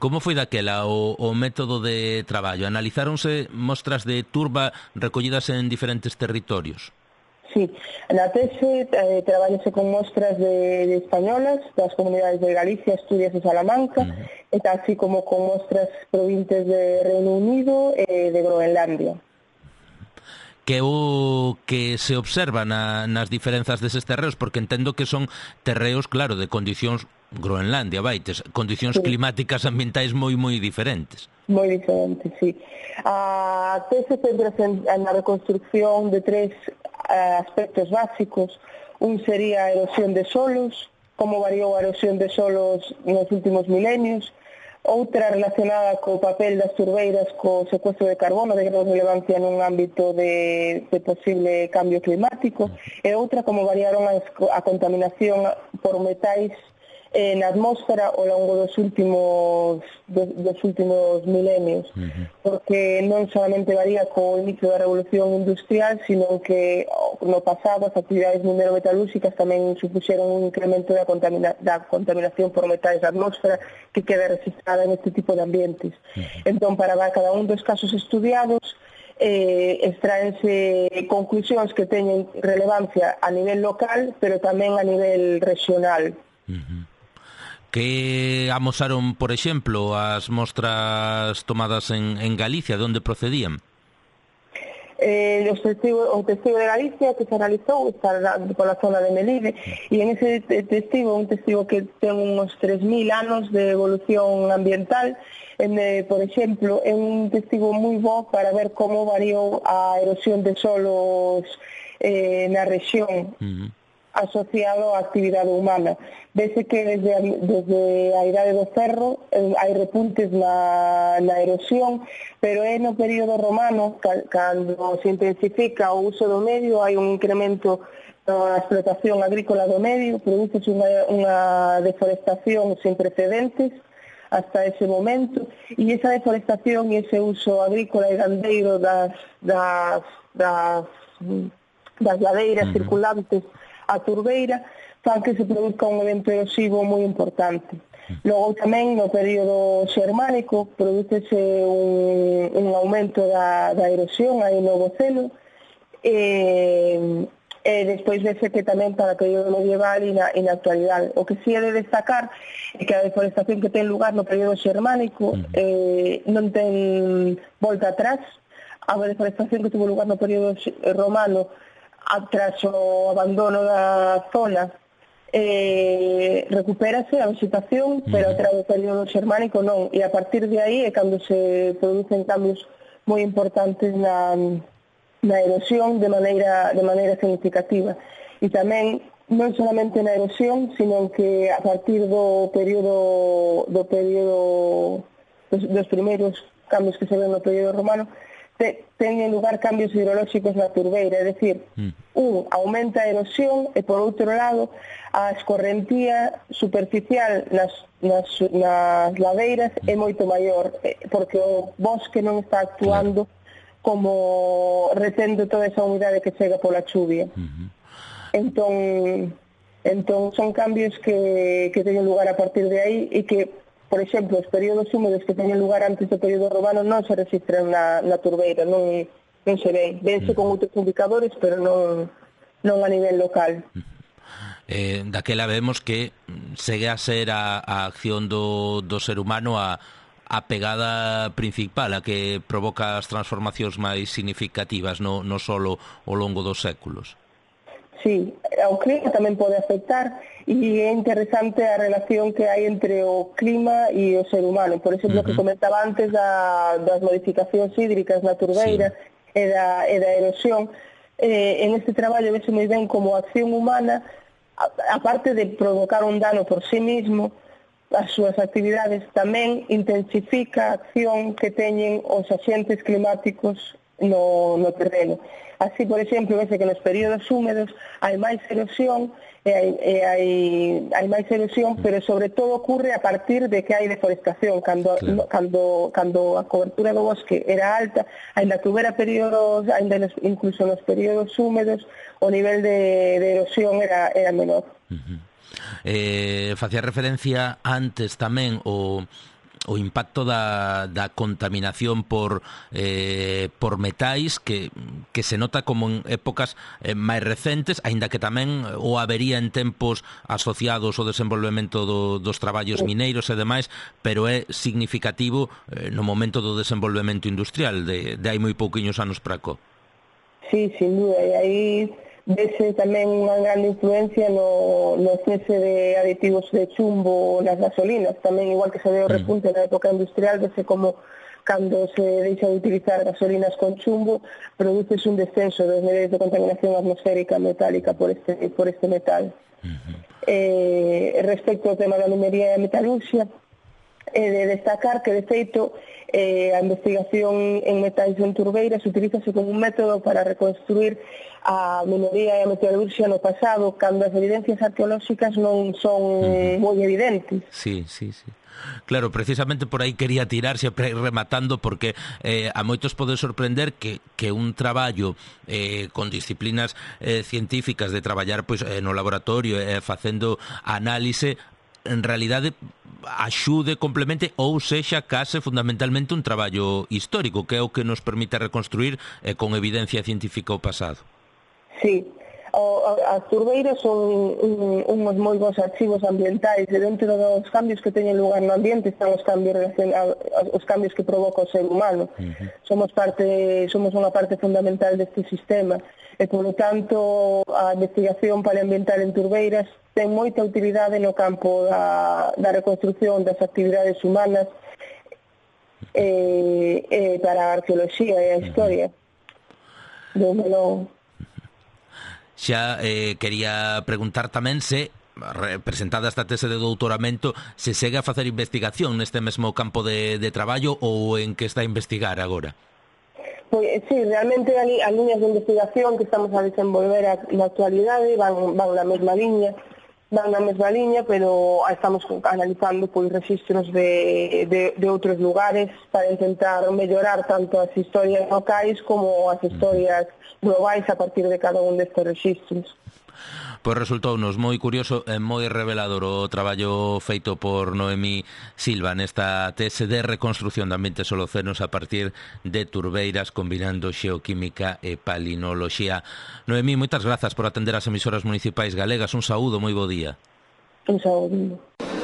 S2: Como foi daquela o método de traballo? Analizáronse mostras de turba recollidas en diferentes territorios?
S3: Sí, na tese traballase con mostras de españolas das comunidades de Galicia, Asturias e Salamanca, e así como con mostras provintes de Reino Unido e de Groenlandia.
S2: Que o que se observa nas diferenzas deses terreos, porque entendo que son terreos, claro, de condicións Groenlandia, vaites, condicións climáticas ambientais moi diferentes.
S3: Moi diferentes, sí. A tese centrase na reconstrucción de tres aspectos básicos. Un sería a erosión de solos, como variou a erosión de solos nos últimos milenios, Outra relacionada co papel das turbeiras co secuestro de carbono de gran relevancia nun ámbito de posible cambio climático, e outra como variaron a contaminación por metais na atmósfera ao longo dos últimos milenios, porque non solamente varía co inicio da revolución industrial, sino que no pasado as actividades minero-metalúrxicas tamén supuxeron un incremento da contaminación por metais da atmósfera que queda registrada en este tipo de ambientes. Entón, para cada un dos casos estudiados, extraense conclusións que teñen relevancia a nivel local, pero tamén a nivel regional.
S2: Que amosaron, por exemplo, as mostras tomadas en Galicia, de onde procedían?
S3: O testigo de Galicia que se analizou está pola zona de Melide, e en ese testigo, un testigo que ten uns 3.000 anos de evolución ambiental, por exemplo, é un testigo moi bo para ver como variou a erosión de solos na rexión asociado á actividade humana. Vese que desde a idade do ferro hai repuntes na erosión, pero é no período romano, cando se intensifica o uso do medio, hai un incremento na explotación agrícola do medio, produce unha deforestación sin precedentes hasta ese momento, e esa deforestación e ese uso agrícola e gandeiro das ladeiras circulantes a turbeira fan que se produzca un evento erosivo moi importante. Logo tamén no período xermánico produce un aumento da erosión aí no Boceno, e despois vese que tamén para o período medieval e na actualidade. O que si é de destacar é que a deforestación que ten lugar no período xermánico non ten volta atrás. A deforestación que tuvo lugar no período romano tras o abandono da zona recupérase a vegetación, pero tras o período xermánico non, e a partir de aí é cando se producen cambios moi importantes na erosión de maneira significativa. E tamén non solamente na erosión, sino que a partir dos primeiros cambios que se ven no período romano teñen lugar cambios hidrolóxicos na turbeira, é dicir, aumenta a erosión e por outro lado a escorrentía superficial nas ladeiras é moito maior, porque o bosque non está actuando como retendo toda esa humidade que chega pola chuvia. Entón son cambios que teñen lugar a partir de aí e que, por exemplo, os períodos húmedos que teñen lugar antes do período romano non se registran na turbeira, non se ven. Vense con outros indicadores, pero non a nivel local.
S2: Daquela vemos que segue a ser a acción do ser humano a pegada principal, a que provoca as transformacións máis significativas, non só ao longo dos séculos.
S3: Sí, o clima tamén pode afectar, e é interesante a relación que hai entre o clima e o ser humano. Por exemplo, que comentaba antes das modificacións hídricas na turbeira e da erosión. En este traballo vese moi ben como a acción humana, aparte de provocar un dano por sí mismo, as súas actividades tamén intensifica a acción que teñen os axentes climáticos no terreno. Así, por exemplo, vese que nos períodos húmedos hai máis erosión, hai máis erosión, pero sobre todo ocurre a partir de que hai deforestación. Cando a cobertura do bosque era alta, ainda que houbera períodos, incluso nos períodos húmedos, o nivel de erosión era menor.
S2: Facía referencia antes tamén o impacto da contaminación por metais que se nota como en épocas máis recentes, aínda que tamén o habería en tempos asociados ao desenvolvemento dos traballos mineiros e demais, pero é significativo no momento do desenvolvemento industrial de hai moi pouquiños anos para cá.
S3: Sí, sin duda, e aí vese tamén unha grande influencia no cese de aditivos de chumbo nas gasolinas, tamén igual que se ve o repunte na época industrial, vese como cando se deixa de utilizar gasolinas con chumbo, produces un descenso dos niveis de contaminación atmosférica metálica por este metal. Respecto ao tema da minería e a metalurxia, de destacar que, de feito, a investigación en metais en turbeiras utilízase como un método para reconstruir a minería e a metalurgia no pasado, cando as evidencias arqueolóxicas non son moi evidentes.
S2: Sí. Claro, precisamente por aí quería tirarse rematando, porque a moitos pode sorprender que un traballo con disciplinas científicas de traballar pois no laboratorio facendo análise, en realidade axude, complemente ou sexa case fundamentalmente un traballo histórico, que é o que nos permite reconstruir con evidencia científica o pasado.
S3: Sí, as turbeiras son uns moi bons archivos ambientais, e dentro dos cambios que teñen lugar no ambiente están os cambios que provoca o ser humano. Somos unha parte fundamental deste sistema, e polo tanto a investigación paleoambiental en turbeiras ten moita utilidade no campo da reconstrucción das actividades humanas para a arqueoloxía e a historia do melón.
S2: Xa quería preguntar tamén se, presentada esta tese de doutoramento, se segue a facer investigación neste mesmo campo de traballo ou en que está a investigar agora?
S3: Pois, sí, realmente as liñas de investigación que estamos a desenvolver na actualidade van na mesma liña, pero estamos analizando pois registros de outros lugares para intentar mellorar tanto as historias locais como as historias globais a partir de cada un destes registros.
S2: Pois resultounos moi curioso e moi revelador o traballo feito por Noemí Silva nesta tese de reconstrucción de ambientes holocenos a partir de turbeiras, combinando xeoquímica e palinoloxía. Noemí, moitas grazas por atender as emisoras municipais galegas. Un saúdo, moi bo día.
S3: Un saúdo.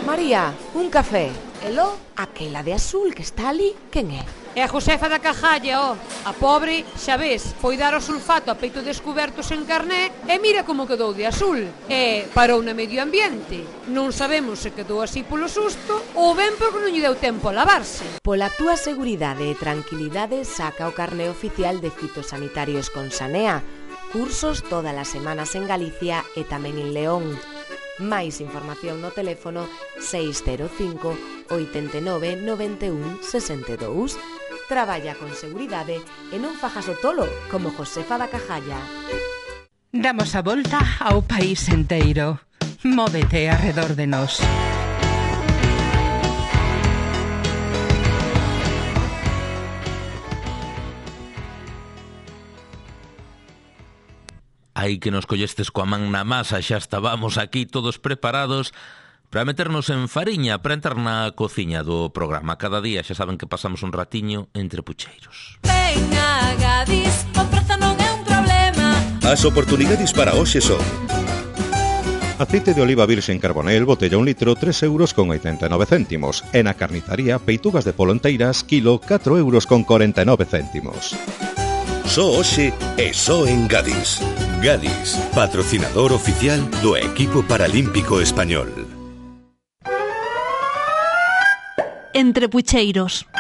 S15: María, un café. Elo, aquela de azul que está ali, quen é?
S16: É a Josefa da Cajalla, a pobre, xa ves, foi dar o sulfato a peito descubertos en Carné e mira como quedou de azul. E parou no medio ambiente. Non sabemos se quedou así polo susto ou ben porque non lle deu tempo a lavarse.
S15: Pola túa seguridade e tranquilidade saca o carné oficial de fitosanitarios con Sanea. Cursos todas as semanas en Galicia e tamén en León. Máis información no teléfono 605 89 91 62. Traballa con seguridade e non fajas o tolo como Josefa da Cajalla.
S13: Damos a volta ao país enteiro. Móvete arredor de nós.
S2: Aí que nos collestes coa man na masa, xa estábamos aquí todos preparados para meternos en fariña, para entrar na cociña do programa. Cada día xa saben que pasamos un ratiño entre pucheiros.
S21: Venga, Gadis, o prezo non é un problema.
S4: As oportunidades para hoxe son: aceite de oliva virxen Carbonel, botella 1 litro, 3,89 €. E na carnizaría, peitugas de polo enteiras, kilo, 4,49 €.
S5: Só hoxe e só en Gadis. Gadis, patrocinador oficial do equipo paralímpico español.
S23: Entre pucheiros.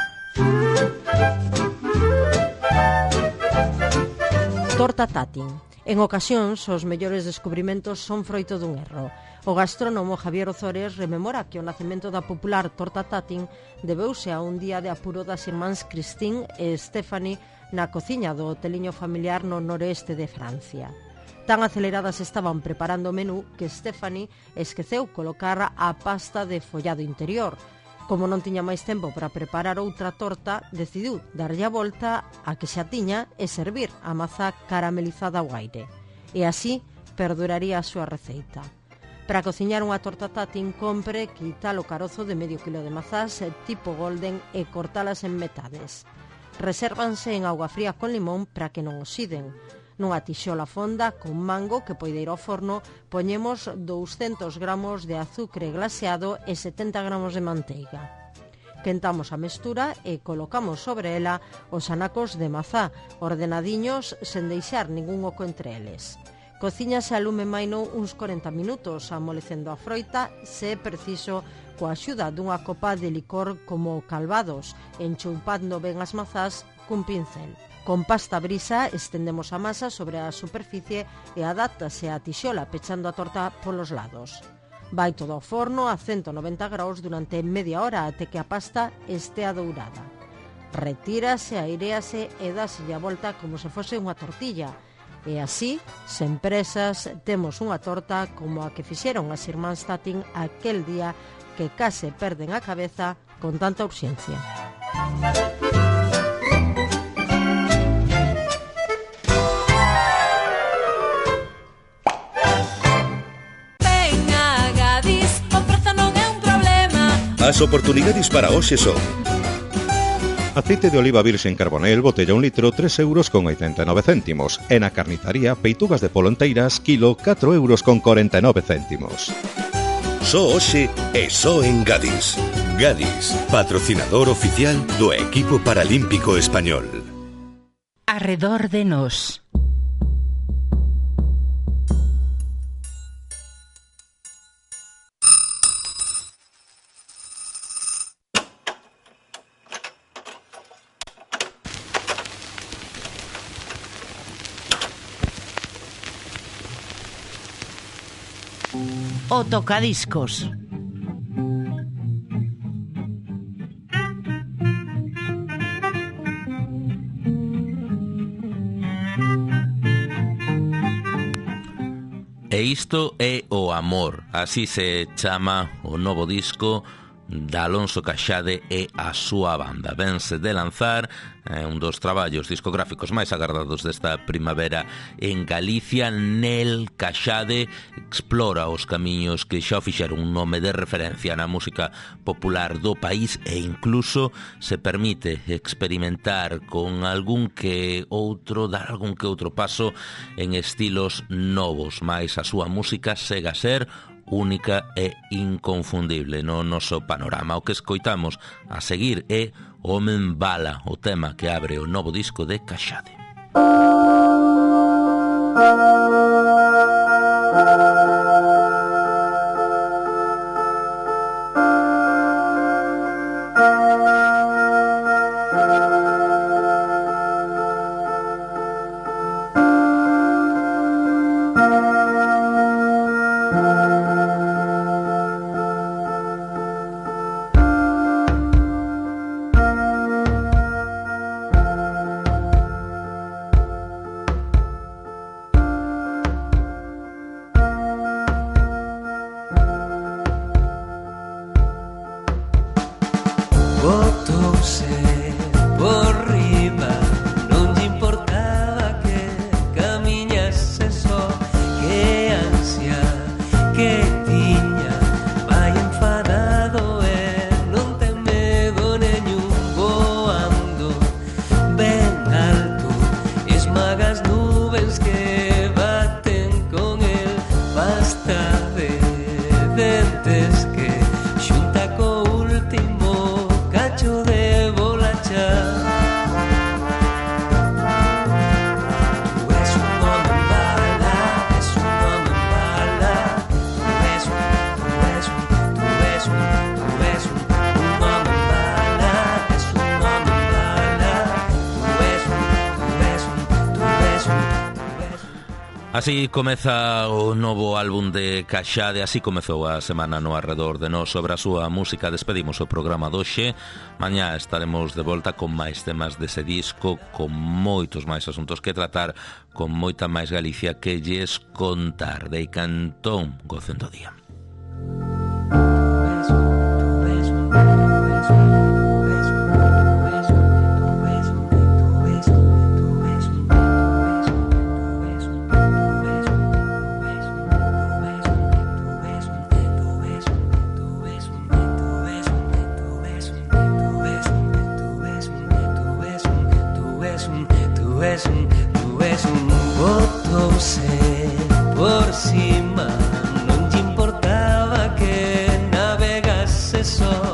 S24: Torta Tatin. En ocasións, os mellores descubrimentos son froito dun erro. O gastrónomo Javier Ozores rememora que o nacemento da popular torta Tatin debeuse a un día de apuro das irmáns Christine e Stephanie na cociña do hoteliño familiar no noroeste de Francia. Tan aceleradas estaban preparando o menú que Stephanie esqueceu colocar a pasta de follado interior. Como non tiña máis tempo para preparar outra torta, decidiu darlle a volta a que xa tiña e servir a mazá caramelizada ao aire. E así perduraría a súa receita. Para cociñar unha torta Tatin, compre quitar o carozo de medio kilo de mazás tipo golden e cortalas en metades. Resérvanse en auga fría con limón para que non oxiden. Nunha tixola fonda con mango que poide ir ao forno, poñemos 200 gramos de azucre glaseado e 70 gramos de manteiga. Quentamos a mestura e colocamos sobre ela os anacos de mazá, ordenadiños sen deixar ningún oco entre eles. Cociñase a lume maino uns 40 minutos, amolecendo a froita, se é preciso, coa axuda dunha copa de licor como calvados, enchoupando ben as mazás cun pincel. Con pasta brisa estendemos a masa sobre a superficie e adáptase a tixola pechando a torta polos lados. Vai todo ao forno a 190 graus durante media hora até que a pasta estea dourada. Retírase, airease e dáselle a volta como se fose unha tortilla. E así, sen presas, temos unha torta como a que fixeron as irmáns Tatin aquel día que case perden a cabeza con tanta urxencia.
S5: As oportunidades para hoxe son:
S4: aceite de oliva virxen Carbonell, botella 1 litro, 3,89 €. E na carnizaría, peitugas de polo enteiras, kilo, 4,49 €.
S5: Só hoxe e só en Gadis. Gadis, patrocinador oficial do equipo paralímpico español.
S13: Arredor de nós. O tocadiscos.
S2: E isto é o amor, así se chama o novo disco da Alonso Caxade e a súa banda. Vense de lanzar un dos traballos discográficos máis agardados desta primavera en Galicia. Nel Caxade explora os camiños que xa fixeron un nome de referencia na música popular do país e incluso se permite experimentar con algún que outro, dar algún que outro paso en estilos novos, mais a súa música sega a ser única e inconfundible no noso panorama. O que escoitamos a seguir é Homen Bala, o tema que abre o novo disco de Caxade. Así comeza o novo álbum de Caxade, así comezou a semana no Arredor de Nós. Sobre a súa música despedimos o programa doxe. Mañá estaremos de volta con máis temas dese disco, con moitos máis asuntos que tratar, con moita máis Galicia que lles contar. De Cantón, gocen do día.
S6: Tú es un voto por cima, non te importaba que navegase só.